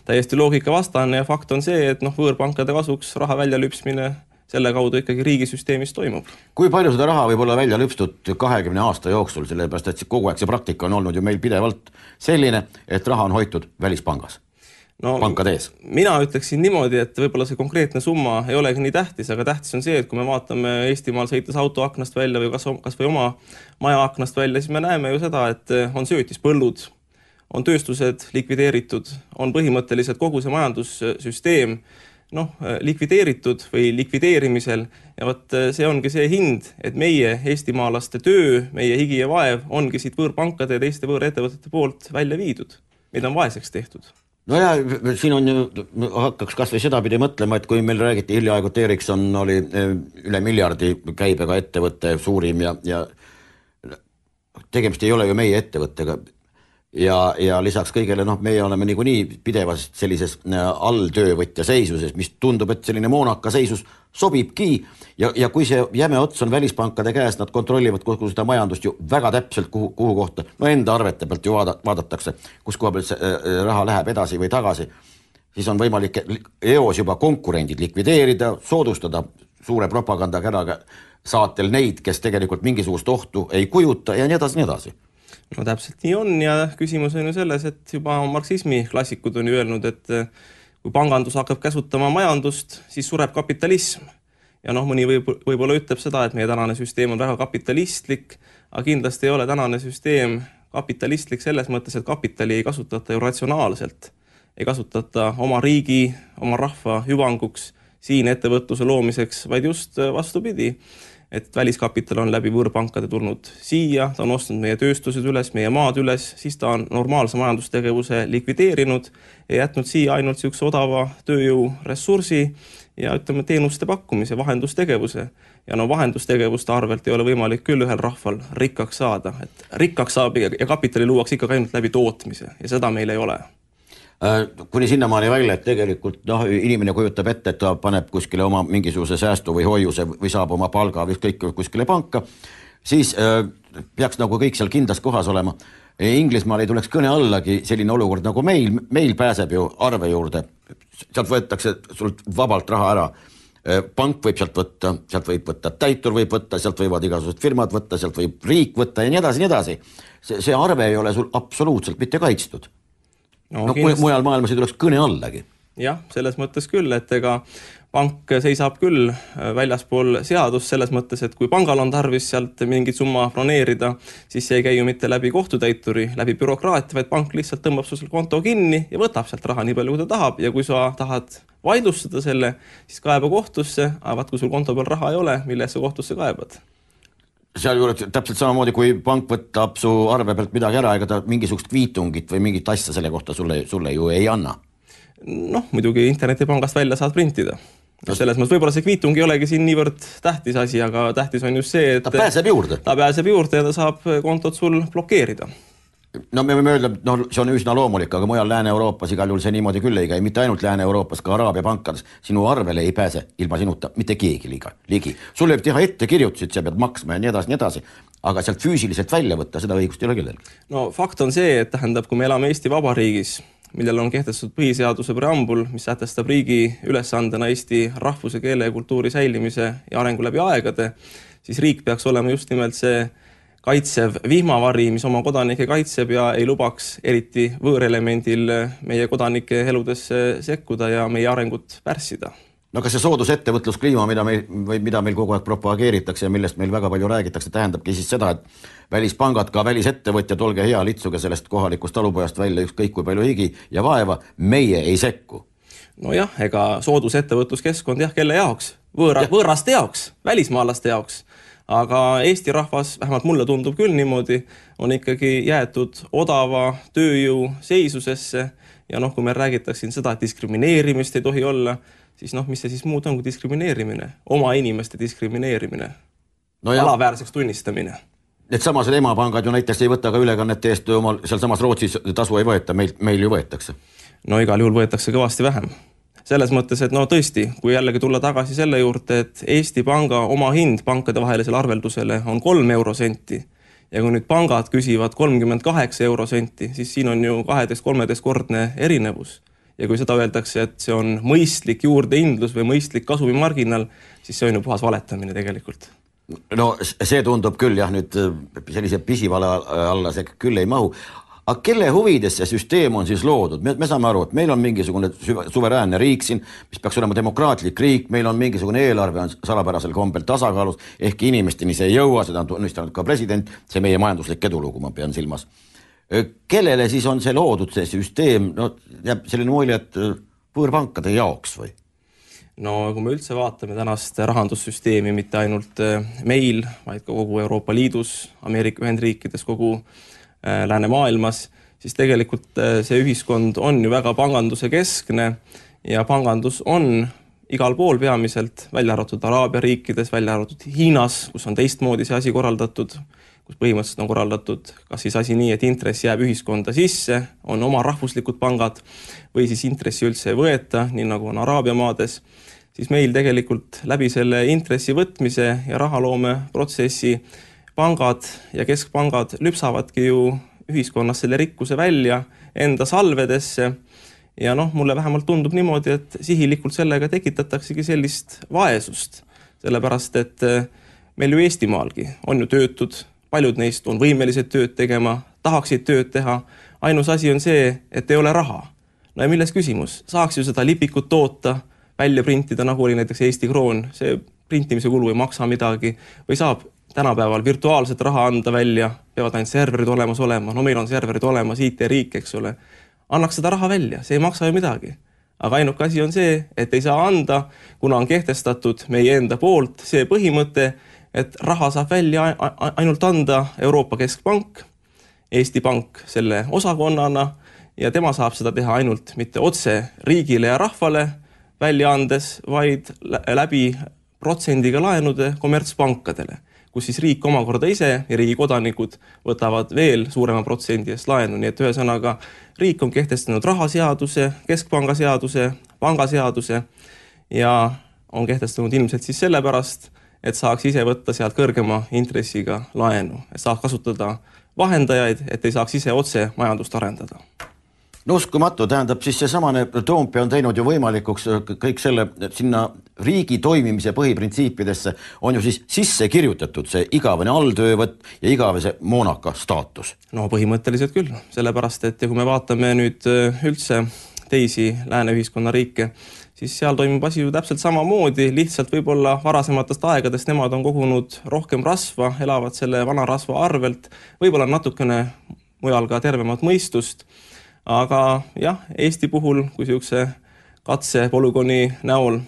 täiesti loogika vastane ja fakt on see, et võõrpankade kasuks raha välja lüpsmine selle kaudu ikkagi riigisüsteemis toimub. Kui palju seda raha võib olla välja lüpstud 20 aasta jooksul, sellepärast et kogu aeg see praktika on olnud ju meil pidevalt selline, et raha on hoitud välispangas, pankadees? Mina ütleksin niimoodi, et võib-olla see konkreetne summa ei olegi nii tähtis, aga tähtis on see, et kui me vaatame Eestimaal sõites auto aknast välja või kas või oma maja aknast välja, siis me näeme ju seda, et on söötispõllud, on tööstused likvideeritud, on põhimõtteliselt kogu see majandussüsteem likvideeritud või likvideerimisel ja see ongi see hind, et meie eestimaalaste töö, meie higi ja vaev ongi siit võõrpankade ja teiste võõrettevõtete poolt välja viidud. Meid on vaeseks tehtud. No ja siin on ju, hakkaks kas või seda pidi mõtlema, et kui meil räägiti hiljaaegu, et Ericsson oli üle miljardi käibega ettevõtte suurim ja tegemist ei ole ju meie ettevõttega. Ja lisaks kõigele, meie oleme niikuinii pidevas sellises alltöövõtja seisuses, mis tundub, et selline moonaka seisus sobibki. Ja kui see jäme ots on välispankade käes, nad kontrollivad kogu seda majandust ju väga täpselt kuhu kohta. Enda arvete pealt ju vaadatakse, kus koha pealt see raha läheb edasi või tagasi. Siis on võimalik eos juba konkurendid likvideerida, soodustada suure propagandakäraga saatel neid, kes tegelikult mingisugust ohtu ei kujuta ja nii edasi, nii edasi. No täpselt nii on ja küsimus on ju selles, et juba marksismi klassikud on ju öelnud, et kui pangandus hakkab käsutama majandust, siis sureb kapitalism. Ja mõni võib-olla ütleb seda, et meie tänane süsteem on väga kapitalistlik, aga kindlasti ei ole tänane süsteem kapitalistlik selles mõttes, et kapitali ei kasutata ju ratsionaalselt. Ei kasutata oma riigi, oma rahva hüvanguks, siin ettevõtluse loomiseks, vaid just vastupidi. Et väliskapital on läbi võõrpankade tulnud siia, ta on ostnud meie tööstused üles, meie maad üles, siis ta on normaalse majandustegevuse likvideerinud ja jätnud siia ainult siukse odava tööjõu ressursi ja ütleme teenuste pakkumise, vahendustegevuse. Ja vahendustegevuste arvelt ei ole võimalik küll ühel rahval rikkaks saada. Et rikkaks saab ja kapitali luuaks ikka ainult läbi tootmise ja seda meil ei ole. Kuni sinnamaani välja, et tegelikult inimene kujutab ette, et ta paneb kuskile oma mingisuguse säästu või hoiuse või saab oma palga või kõik kuskile panka, siis peaks kõik seal kindlas kohas olema. Inglismaal ei tuleks kõne allagi selline olukord nagu meil pääseb ju arve juurde, sealt võetakse sult vabalt raha ära. Pank võib sealt võib võtta, täitur võib võtta, sealt võivad igasugused firmad võtta, sealt võib riik võtta ja nii edasi, nii edasi. See arve ei ole sul absoluutselt mitte kaitstud. Mujal maailmas ei tuleks kõne allagi. Jah, selles mõttes küll, et ega pank seisab küll väljaspool seadust selles mõttes, et kui pangal on tarvis sealt mingit summa broneerida, siis see ei käi ju mitte läbi kohtutäituri, läbi bürokraatia, vaid pank lihtsalt tõmbab sul konto kinni ja võtab sealt raha nii palju, kui ta tahab. Ja kui sa tahad vaidlustada selle, siis kaeba kohtusse, aga kui sul konto peal raha ei ole, mille sa kohtusse kaebad? Seal juurde täpselt samamoodi, kui pank võtab su arve pealt midagi ära, ega ta mingisugust kviitungit või mingit asja selle kohta sulle ju ei anna. Muidugi internetipangast välja saad printida. Selles mõttes võib-olla see kviitung ei olegi siin niivõrd tähtis asi, aga tähtis on just see, et ta pääseb juurde ja ta saab kontot sul blokeerida. No me võime öelda, no see on üsna loomulik, aga mujal Lääne-Euroopas igal juhul see niimoodi küll ei käi, mitte ainult Lääne-Euroopas, ka Araabia pankades. Sinu arvele ei pääse ilma sinuta mitte keegi ligi. Sul võib teha ettekirjutusid, sa pead maksma ja nii edasi, aga sealt füüsiliselt välja võtta, seda õigust ei ole kellelgi. No fakt on see, et tähendab, kui me elame Eesti Vabariigis, millel on kehtestatud põhiseaduse preambul, mis sätestab riigi ülesandena Eesti rahvuse, keele ja kultuuri säilimise ja arengu läbi aegade, siis riik peaks olema just nimelt see kaitsev vihmavari, mis oma kodanikke kaitseb ja ei lubaks eriti võõrelemendil meie kodanike eludesse sekkuda ja meie arengut pärssida. No kas see soodusettevõtluskliima, mida meil kogu aeg propageeritakse ja millest meil väga palju räägitakse, tähendabki siis seda, et välispangad, ka välisettevõtjad, olge hea, litsuge sellest kohalikust talupojast välja ükskõik kui palju higi ja vaeva, meie ei sekku. Nojah, ega soodusettevõtluskeskkond kelle jaoks? Võõraste jaoks, välismaalaste jaoks. Aga Eesti rahvas, vähemalt mulle tundub küll niimoodi, on ikkagi jäetud odava tööjõu seisusesse ja kui me räägitakse siin seda, et diskrimineerimist ei tohi olla, siis mis see siis muud on kui diskrimineerimine, oma inimeste diskrimineerimine, alaväärseks tunnistamine. Need samased emapangad ju näiteks ei võta ka ülekannete eest, seal samas Rootsis tasu ei võeta, meil ju võetakse. No igal juhul võetakse kõvasti vähem. Selles mõttes, et tõesti, kui jällegi tulla tagasi selle juurde, et Eesti panga oma hind pankade vahelisele arveldusele on 3 eurosenti ja kui nüüd pangad küsivad 38 eurosenti, siis siin on ju 12-13 kordne erinevus. Ja kui seda öeldakse, et see on mõistlik juurdeindlus või mõistlik kasumimarginal, siis see on ju puhas valetamine tegelikult. No see tundub küll nüüd sellise pisivale alla see küll ei mahu. Aga kelle huvides see süsteem on siis loodud? Me saame aru, et meil on mingisugune suveräänne riik siin, mis peaks olema demokraatlik riik, meil on mingisugune eelarve on salapärasel kombel tasakaalus, ehk inimesteni see ei jõua, seda on tunnistanud ka president, see meie majanduslik edulugu, ma pean silmas. Kellele siis on see loodud, see süsteem? Jääb selline mulje, et võõrpankade jaoks või? No kui me üldse vaatame tänast rahandussüsteemi, mitte ainult meil, vaid ka kogu Euroopa Liidus, Ameerika Ühendriikides, kogu läänemaailmas, siis tegelikult see ühiskond on ju väga panganduse keskne ja pangandus on igal pool peamiselt, välja arvatud Araabia riikides, välja arvatud Hiinas, kus on teistmoodi see asi korraldatud, kus põhimõtteliselt on korraldatud kas siis asi nii, et intress jääb ühiskonda sisse, on oma rahvuslikud pangad või siis intressi üldse ei võeta, nii nagu on Araabia maades, siis meil tegelikult läbi selle intressi võtmise ja rahaloome protsessi pangad ja keskpangad lüpsavadki ju ühiskonnas selle rikkuse välja enda salvedesse ja mulle vähemalt tundub niimoodi, et sihilikult sellega tekitataksegi sellist vaesust, sellepärast et meil ju Eestimaalgi on ju töötud, paljud neist on võimelised tööd tegema, tahaksid tööd teha, ainus asi on see, et ei ole raha. No ja milles küsimus? Saaks ju seda lipikut toota, välja printida, nagu oli näiteks Eesti kroon, see printimise kulu ei maksa midagi või saab tänapäeval virtuaalset raha anda välja, peavad ainult serverid olemas olema, meil on serverid olemas, IT-riik, eks ole. Annaks seda raha välja, see ei maksa ju midagi. Aga ainuke asi on see, et ei saa anda, kuna on kehtestatud meie enda poolt see põhimõte, et raha saab välja ainult anda Euroopa Keskpank, Eesti Pank selle osakonnana ja tema saab seda teha ainult mitte otse riigile ja rahvale välja andes, vaid läbi protsendiga laenude kommertspankadele, kus siis riik omakorda ise ja riigi kodanikud võtavad veel suurema protsendi eest laenu. Nii et ühesõnaga riik on kehtestanud rahaseaduse, keskpangaseaduse, pangaseaduse ja on kehtestanud ilmselt siis sellepärast, et saaks ise võtta sealt kõrgema intressiga laenu, et saaks kasutada vahendajaid, et ei saaks ise otse majandust arendada. No uskumatu, tähendab siis see samane Toompea on teinud ju võimalikuks kõik selle sinna riigi toimimise põhiprintsiipidesse on ju siis sisse kirjutatud see igavene alltöövõtt ja igavese moonaka staatus. No põhimõtteliselt küll, sellepärast, et kui me vaatame nüüd üldse teisi lääne ühiskonna riike, siis seal toimub asi ju täpselt samamoodi, lihtsalt võib-olla varasematest aegadest nemad on kogunud rohkem rasva, elavad selle vana rasva arvelt, võib-olla natukene mujal ka tervemat mõistust. Aga jah, Eesti puhul, kui siukse katse polügooni näol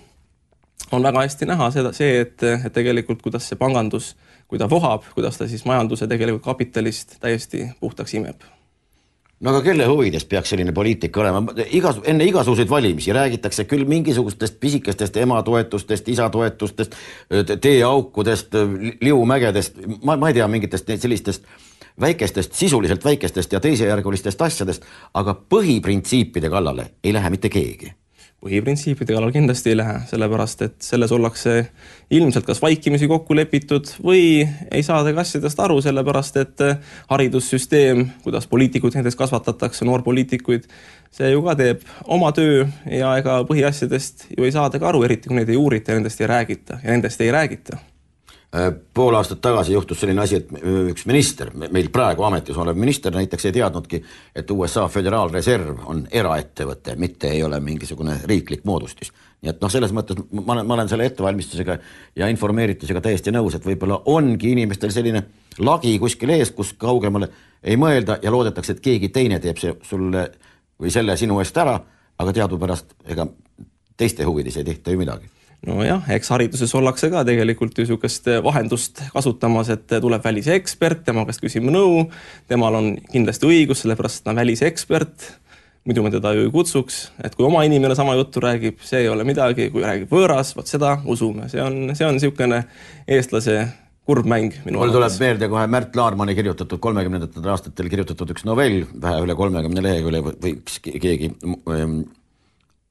on väga hästi näha see, et tegelikult kuidas see pangandus, kui ta vohab, kuidas ta siis majanduse tegelikult kapitalist täiesti puhtaks imeb. No aga kelle huvides peaks selline poliitika olema? Enne igasuguseid valimisi räägitakse küll mingisugustest pisikestest ematoetustest, isatoetustest, teeaukudest, liumägedest, ma ei tea mingitest sellistest väikestest, sisuliselt väikestest ja teisejärgulistest asjadest, aga põhiprintsiipide kallale ei lähe mitte keegi. Põhiprintsiipide kallal kindlasti ei lähe, sellepärast et selles ollakse ilmselt kas vaikimisi kokku lepitud või ei saada asjadest aru, sellepärast et haridussüsteem, kuidas poliitikud näiteks kasvatatakse, noorpoliitikuid, see ju ka teeb oma töö ja ega põhiasjadest ju ei saada ka aru, eriti kui neid ei uurita ja nendest ei räägita ja nendest ei räägita. Pool aastat tagasi juhtus selline asi, et üks minister, meil praegu ametis olev minister näiteks ei teadnudki, et USA Föderaalreserv on eraettevõte, mitte ei ole mingisugune riiklik moodustis. Nii et selles mõttes ma olen selle ettevalmistusega ja informeeritusega täiesti nõus, et võib-olla ongi inimestel selline lagi kuskil ees, kus kaugemale ei mõelda ja loodetakse, et keegi teine teeb sulle või selle sinu eest ära, aga teadupärast ega teiste huvides ei tehta ju midagi. No jah, eks hariduses ollakse ka tegelikult ju niisugust vahendust kasutamas, et tuleb välisekspert, tema käest küsime nõu, temal on kindlasti õigus, sellepärast ta on välisekspert, muidu me teda ju ei kutsuks, et kui oma inimene sama juttu räägib, see ei ole midagi, kui räägib võõras, võt seda usume, see on niisugune eestlase kurb mäng. Mul tuleb meelde kohe Märt Laarmani kirjutatud 30. aastatel kirjutatud üks novell, vähe üle 30 lehekülje võiks keegi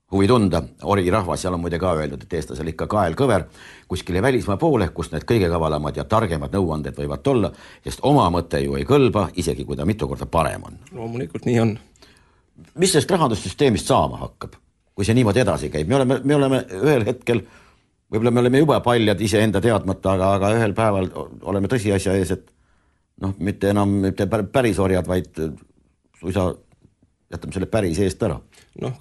huvi tunda, orirahvas, seal on muide ka öeldud, et eestlasel ikka kael kõver kuskile välismaa poole, kus need kõige kavalamad ja targemad nõuanded võivad olla, sest oma mõte ju ei kõlba, isegi kui ta mitu korda parem on. Loomulikult nii on. Mis sellest rahandussüsteemist saama hakkab, kui see niimoodi edasi käib? Me oleme ühel hetkel, võib-olla me oleme juba paljad ise enda teadmata, aga ühel päeval oleme tõsiasja ees, et mitte enam päris orjad, vaid suisa jätame selle päris eest ära.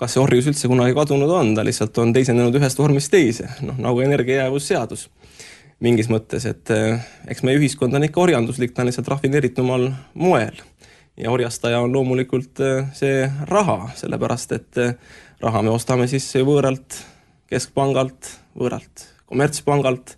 Kas see orjus üldse kunagi kadunud on? Ta lihtsalt on teisendunud ühest vormist teise, nagu energiajäävusseadus mingis mõttes, et eks meie ühiskond on ikka orjanduslik, ta on lihtsalt rafineeritumal moel ja orjastaja on loomulikult see raha, sellepärast et raha me ostame sisse võõralt keskpangalt, võõralt kommertspangalt,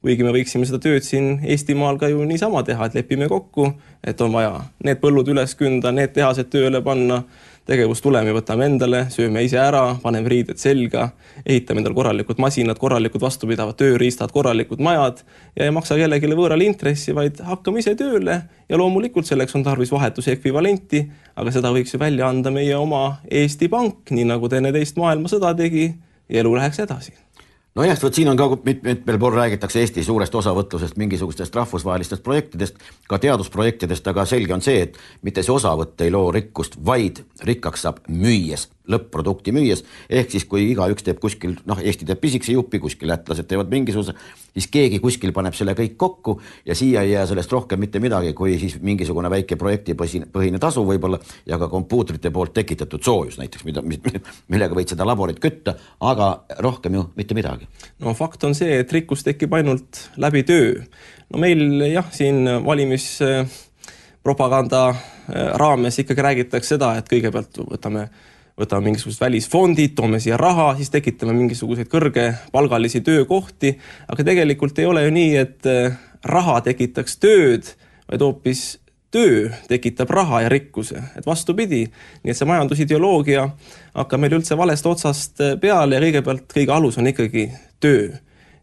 kuigi me võiksime seda tööd siin Eestimaal ka ju niisama teha, et lepime kokku, et on vaja need põllud üles künda, need tehased tööle panna, tegevustulemi võtame endale, sööme ise ära, paneme riided selga, ehitame endal korralikud masinad, korralikud vastupidavad tööriistad, korralikud majad ja ei maksa kellegile võõrale intressi, vaid hakkame ise tööle ja loomulikult selleks on tarvis vahetuse ekvivalenti, aga seda võiks ju välja anda meie oma Eesti Pank, nii nagu teine teist maailmasõda tegi ja elu läheks edasi. No jah, siin on ka mitmel pool räägitakse Eesti suurest osavõtlusest, mingisugustest rahvusvahelistest projektidest, ka teadusprojektidest, aga selge on see, et mitte see osavõtt ei loo rikkust, vaid rikkaks saab müües, lõpp-produkti müües, ehk siis kui igaüks teeb kuskil, Eesti teeb pisikese jupi, kuskil lätlased teevad mingisuguse, siis keegi kuskil paneb selle kõik kokku ja siia ei jää sellest rohkem mitte midagi, kui siis mingisugune väike projektipõhine tasu võib-olla ja ka kompuutrite poolt tekitatud soojus näiteks, millega võid seda laborit kütta, aga rohkem ju mitte midagi. Fakt on see, et rikkus tekib ainult läbi töö. Meil jah, siin valimispropaganda raames ikkagi räägitakse seda, et kõigepealt võtame mingisugused välisfondid, toome siia raha, siis tekitame mingisuguseid kõrgepalgalisi töökohti, aga tegelikult ei ole ju nii, et raha tekitaks tööd, vaid hoopis töö tekitab raha ja rikkuse, et vastupidi. Nii et see majandusideoloogia hakkab meil üldse valest otsast peale ja kõigepealt kõige alus on ikkagi töö.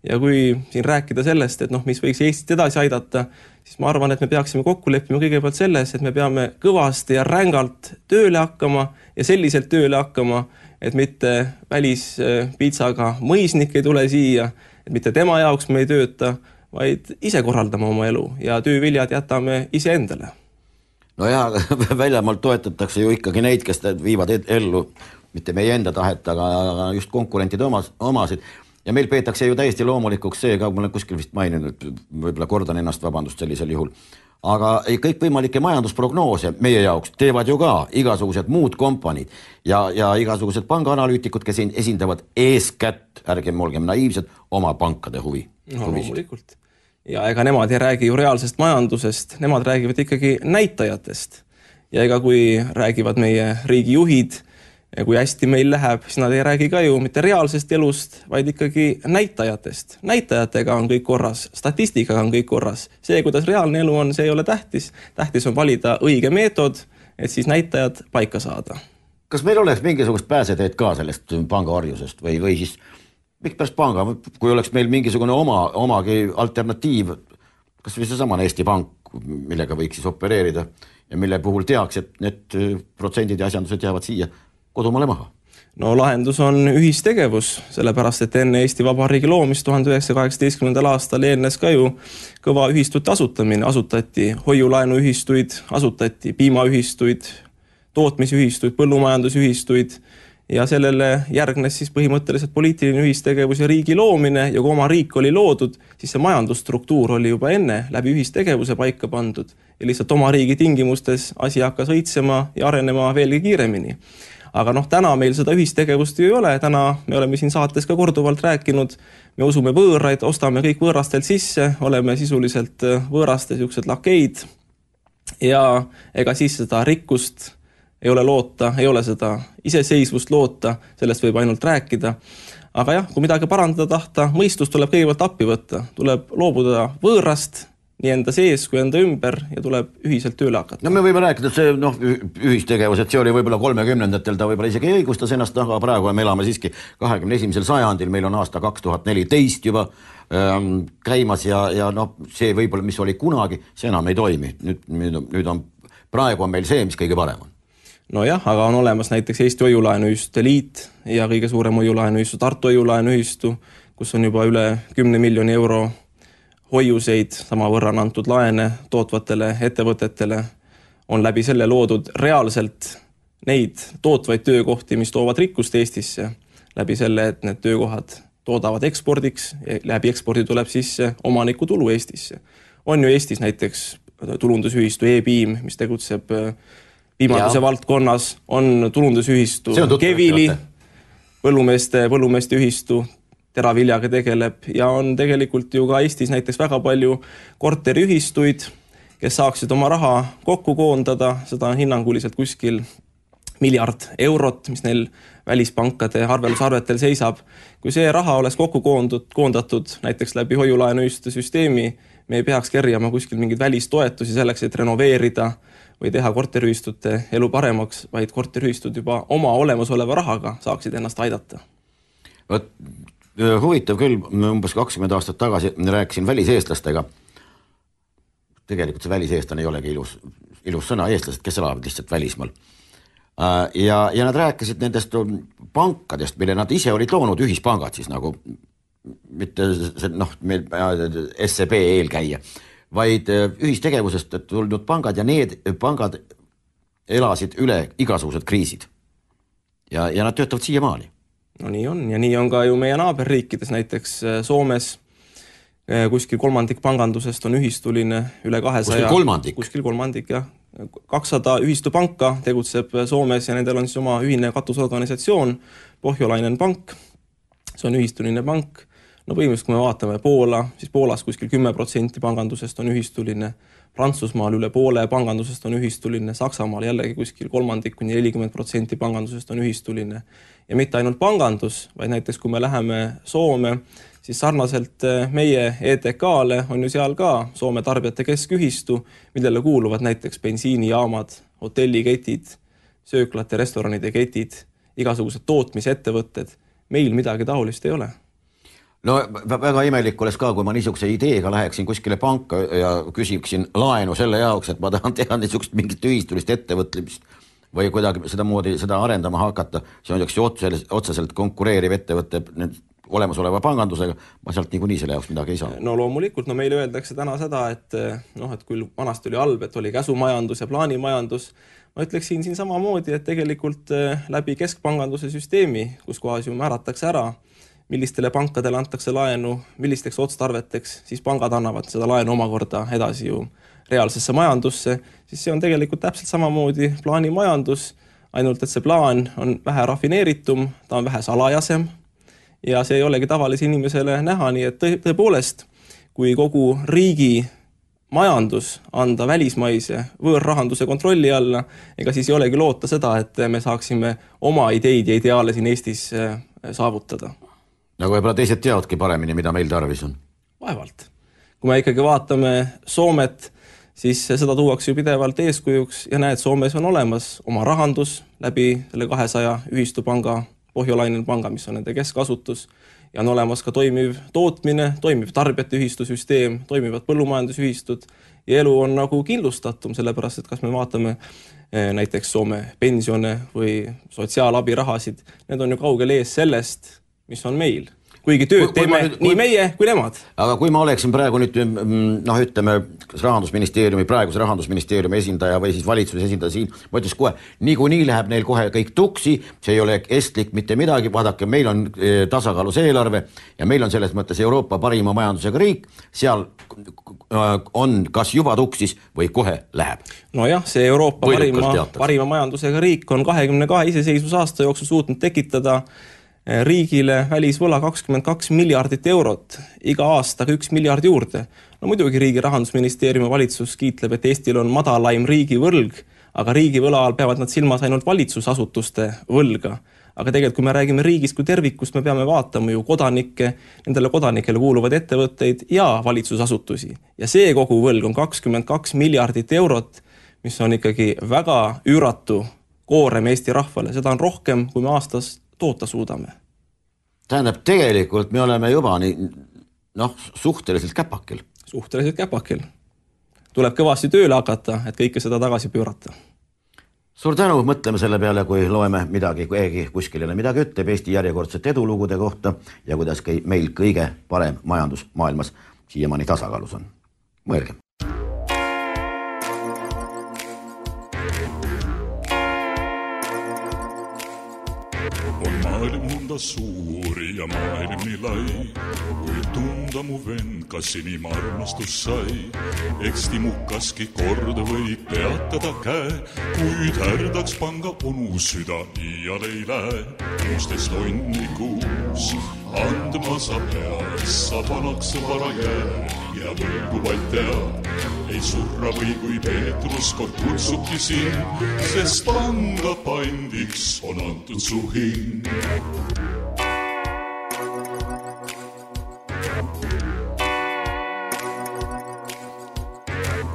Ja kui siin rääkida sellest, et mis võiks Eestit edasi aidata, siis ma arvan, et me peaksime kokku leppima kõigepealt selles, et me peame kõvasti ja rängalt tööle hakkama ja selliselt tööle hakkama, et mitte välispiitsaga mõisnik ei tule siia, et mitte tema jaoks me ei tööta, vaid ise korraldame oma elu ja tööviljad jätame ise endale. No ja väljamaalt toetatakse ju ikkagi neid, kes viivad ellu mitte meie enda tahet, aga just konkurentide omasid. Ja meil peetakse ju täiesti loomulikuks see, ka ma olen kuskil vist maininud, võib-olla kordan ennast, vabandust sellisel juhul. Aga kõik võimalike majandusprognoose meie jaoks teevad ju ka igasugused muud kompaniid ja igasugused pangaanalüütikud, kes esindavad eeskätt, ärgem olgem naiivsed, oma pankade huvi. Loomulikult. Ja ega nemad ei räägi ju reaalsest majandusest, nemad räägivad ikkagi näitajatest. Ja ega kui räägivad meie riigijuhid, ja kui hästi meil läheb, siis nad ei räägi ka ju mitte reaalsest elust, vaid ikkagi näitajatest. Näitajatega on kõik korras, statistikaga on kõik korras. See, kuidas reaalne elu on, see ei ole tähtis. Tähtis on valida õige meetod et siis näitajad paika saada. Kas meil oleks mingisugust pääseteed ka sellest pangaorjusest või siis miks pärast panga, kui oleks meil mingisugune omagi alternatiiv, kas või seesamane Eesti Pank, millega võiks siis opereerida ja mille puhul tehakse, et need protsendid ja asjandused jäävad siia kodumaale maha? No lahendus on ühistegevus, sellepärast et enne Eesti Vabariigi loomist 1918. aastal eelnes ka ju kõva ühistute asutamine, asutati hoiulaenuühistuid, asutati piimaühistuid, tootmisühistuid, põllumajandusühistuid ja sellele järgnes siis põhimõtteliselt poliitiline ühistegevus ja riigi loomine ja kui oma riik oli loodud, siis see majandusstruktuur oli juba enne läbi ühistegevuse paika pandud ja lihtsalt oma riigi tingimustes asi hakkas õitsema ja arenema veelgi kiiremini. Aga täna meil seda ühistegevust ju ei ole, täna me oleme siin saates ka korduvalt rääkinud, me usume võõraid, ostame kõik võõrastelt sisse, oleme sisuliselt võõraste siuksed lakeid ja ega siis seda rikkust ei ole loota, ei ole seda iseseisvust loota, sellest võib ainult rääkida. Aga jah, kui midagi parandada tahta, mõistus tuleb kõigepealt appi võtta, tuleb loobuda võõrast, nii enda sees kui enda ümber ja tuleb ühiselt tööle hakata. No me võime rääkida, et see ühistegevus, et see oli võib-olla 30-ndatel, ta võib-olla isegi õigustas ennast, aga praegu me elame siiski 21. sajandil, meil on aasta 2014 juba käimas ja see võib-olla, mis oli kunagi, see enam ei toimi. Nüüd on, praegu on meil see, mis kõige parem on. Nojah, aga on olemas näiteks Eesti Hoiulaenuühistute Liit ja kõige suurem hoiulaenuühistu Tartu Hoiulaenuühistu, kus on juba üle 10 miljoni euro hoiuseid, sama võrra on antud laene tootvatele ettevõtetele, on läbi selle loodud reaalselt neid tootvaid töökohti, mis toovad rikkust Eestisse, läbi selle, et need töökohad toodavad ekspordiks ja läbi ekspordi tuleb sisse omaniku tulu Eestisse. On ju Eestis näiteks tulundusühistu E-Piim, mis tegutseb piimanduse valdkonnas, on tulundusühistu Kevili, põllumeeste ühistu, teraviljaga tegeleb ja on tegelikult ju ka Eestis näiteks väga palju korteriühistuid, kes saaksid oma raha kokku koondada, seda on hinnanguliselt kuskil 1 miljard eurot, mis neil välispankade arvelusarvetel seisab. Kui see raha oleks kokku koondatud näiteks läbi hoiulaenuühistute süsteemi, me ei peaks kerjama kuskil mingeid välistoetusi selleks, et renoveerida või teha korteriühistute elu paremaks, vaid korteriühistud juba oma olemasoleva rahaga saaksid ennast aidata. Huvitav küll, umbes 20 aastat tagasi rääkisin väliseestlastega. Tegelikult see väliseestlane ei olegi ilus sõna, eestlased, kes elavad lihtsalt välismaal. Ja nad rääkisid nendest pankadest, mille nad ise olid loonud, ühispangad siis nagu, mitte meil SEB eelkäija, vaid ühistegevusest tulnud pangad ja need pangad elasid üle igasugused kriisid. Ja nad töötavad siiamaani. No nii on ja nii on ka ju meie naaberriikides, näiteks Soomes kuskil kolmandik pangandusest on ühistuline, üle 200. Kuskil kolmandik, jah. 200 ühistupanka tegutseb Soomes ja nendel on siis oma ühine katusorganisatsioon, Pohjolainen pank, see on ühistuline pank. No põhimõtteliselt, kui me vaatame Poola, siis Poolas kuskil 10% pangandusest on ühistuline, Prantsusmaal üle poole pangandusest on ühistuline, Saksamaal jällegi kuskil 30–40% pangandusest on ühistuline. Ja mitte ainult pangandus, vaid näiteks kui me läheme Soome, siis sarnaselt meie ETK-le on ju seal ka Soome tarbijate keskühistu, millele kuuluvad näiteks bensiinijaamad, hotelliketid, sööklate, restoranide ketid, igasugused tootmisettevõtted. Meil midagi taolist ei ole. No väga imelik oleks ka, kui ma niisuguse ideega läheksin kuskile panka ja küsiksin laenu selle jaoks, et ma tahan teha niisugust mingit ühistulist ettevõtlemist või kuidagi seda arendama hakata. See on üks otseselt konkureeriv ettevõtte olemasoleva pangandusega, ma sealt niikuinii selle jaoks midagi ei saa. No loomulikult, meile öeldakse täna seda, et kui vanasti oli halb, et oli käsumajandus ja plaanimajandus, ma ütleksin siin samamoodi, et tegelikult läbi keskpanganduse süsteemi, kus kohas ju määratakse ära, millistele pankadele antakse laenu, millisteks otstarveteks, siis pangad annavad seda laenu omakorda edasi ju reaalsesse majandusse, siis see on tegelikult täpselt samamoodi plaanimajandus, ainult et see plaan on vähe rafineeritum, ta on vähe salajasem ja see ei olegi tavalise inimesele näha, nii et tõepoolest, kui kogu riigi majandus anda välismaise võõrrahanduse kontrolli alla, ega siis ei olegi loota seda, et me saaksime oma ideid ja ideaale siin Eestis saavutada. Nagu võib-olla teised teadki paremini, mida meil tarvis on. Vaevalt. Kui me ikkagi vaatame Soomet, siis seda tuuakse ju pidevalt eeskujuks ja näed, Soomes on olemas oma rahandus läbi selle 200 ühistupanga, Pohjolainen panga, mis on nende keskasutus, ja on olemas ka toimiv tootmine, toimiv tarbijate ühistusüsteem, toimivad põllumajandusühistud ja elu on nagu kindlustatum, sellepärast, et kas me vaatame näiteks Soome pensione või sotsiaalabirahasid, need on ju kaugel ees sellest, mis on meil. Kuigi tööd teeme nii meie kui nemad. Aga kui ma oleksin praegu nüüd, ütleme, praeguse rahandusministeeriumi esindaja või siis valitsuse esindaja siin, ma ütles kohe, nii läheb neil kohe kõik tuksi, see ei ole estlik mitte midagi, vaadake, meil on tasakaalus eelarve ja meil on selles mõttes Euroopa parima majandusega riik, seal on kas juba tuksis või kohe läheb. Nojah, see Euroopa parima majandusega riik on 22 iseseisvusaasta jooksul suutnud tekitada riigile välisvõla 22 miljardit eurot, iga aastaga 1 miljard juurde. No muidugi riigi rahandusministeeriumi valitsus kiitleb, et Eestil on madalaim riigivõlg, aga riigivõla all peavad nad silmas ainult valitsusasutuste võlga. Aga tegelikult, kui me räägime riigist kui tervikust, me peame vaatama ju kodanikke, nendele kodanikele kuuluvad ettevõtteid ja valitsusasutusi. Ja see kogu võlg on 22 miljardit eurot, mis on ikkagi väga üüratu koorem Eesti rahvale. Seda on rohkem, kui me aastas toota suudame. Tähendab, tegelikult me oleme juba suhteliselt käpakil. Suhteliselt käpakil. Tuleb kõvasti tööle hakata, et kõike seda tagasi pöörata. Suur tänu, mõtleme selle peale, kui loeme midagi, keegi kuskil midagi ütleb Eesti järjekordset edulugude kohta ja kuidas meil kõige parem majandus maailmas siiamaani tasakaalus on. Mõelge. Maailm nõnda suuri ja maailm nii lai, kui tunda mu vend, kas inim armastus sai. Eksti mukaski kord võib peatada käe, kuid härdaks panga onu süda iial ei lähe. 16 tonni kuus andma sa pead, sa vanaks vara jää ja võlgu vaid tead. Ei surra või kui Peetrus kord kutsubki siin, sest panga pandiks on antud su hing.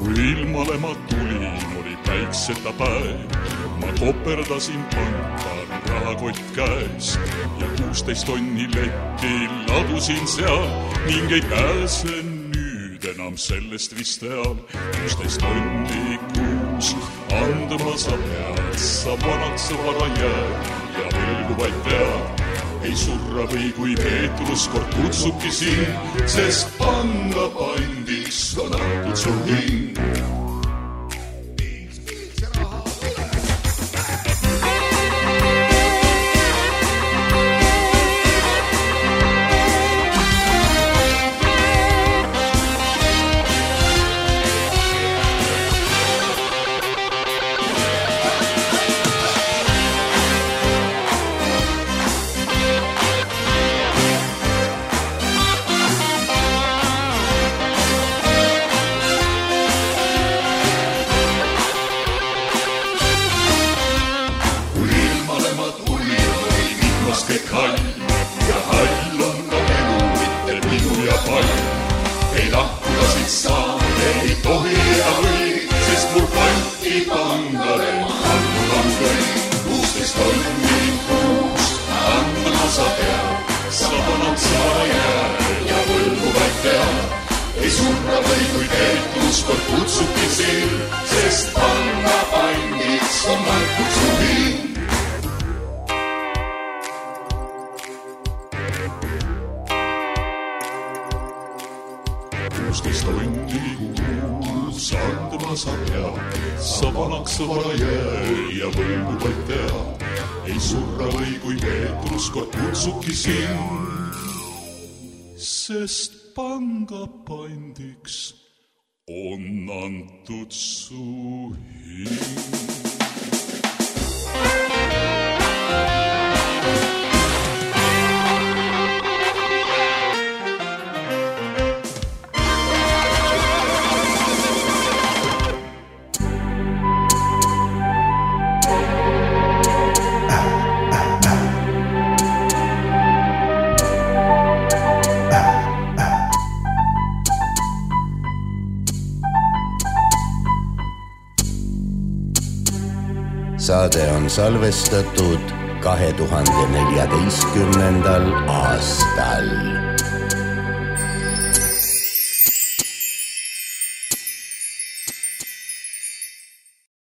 Kui ilmale ma tulin, oli päikseta päev, ma koperdasin pankan rahakott käes ja 16 tonni letti ladusin seal ning ei pääse nüüd enam sellest vist eal. 16 tonni kuus andma sa pead, sa vanaks vara jääd ja võlgu vaid tead. Ei surra või kui Peetrus kord kutsubki siin, sest panga pandiks on antud su hing. Sest panga pandiks on antud su hing. Saade on salvestatud 2014. aastal.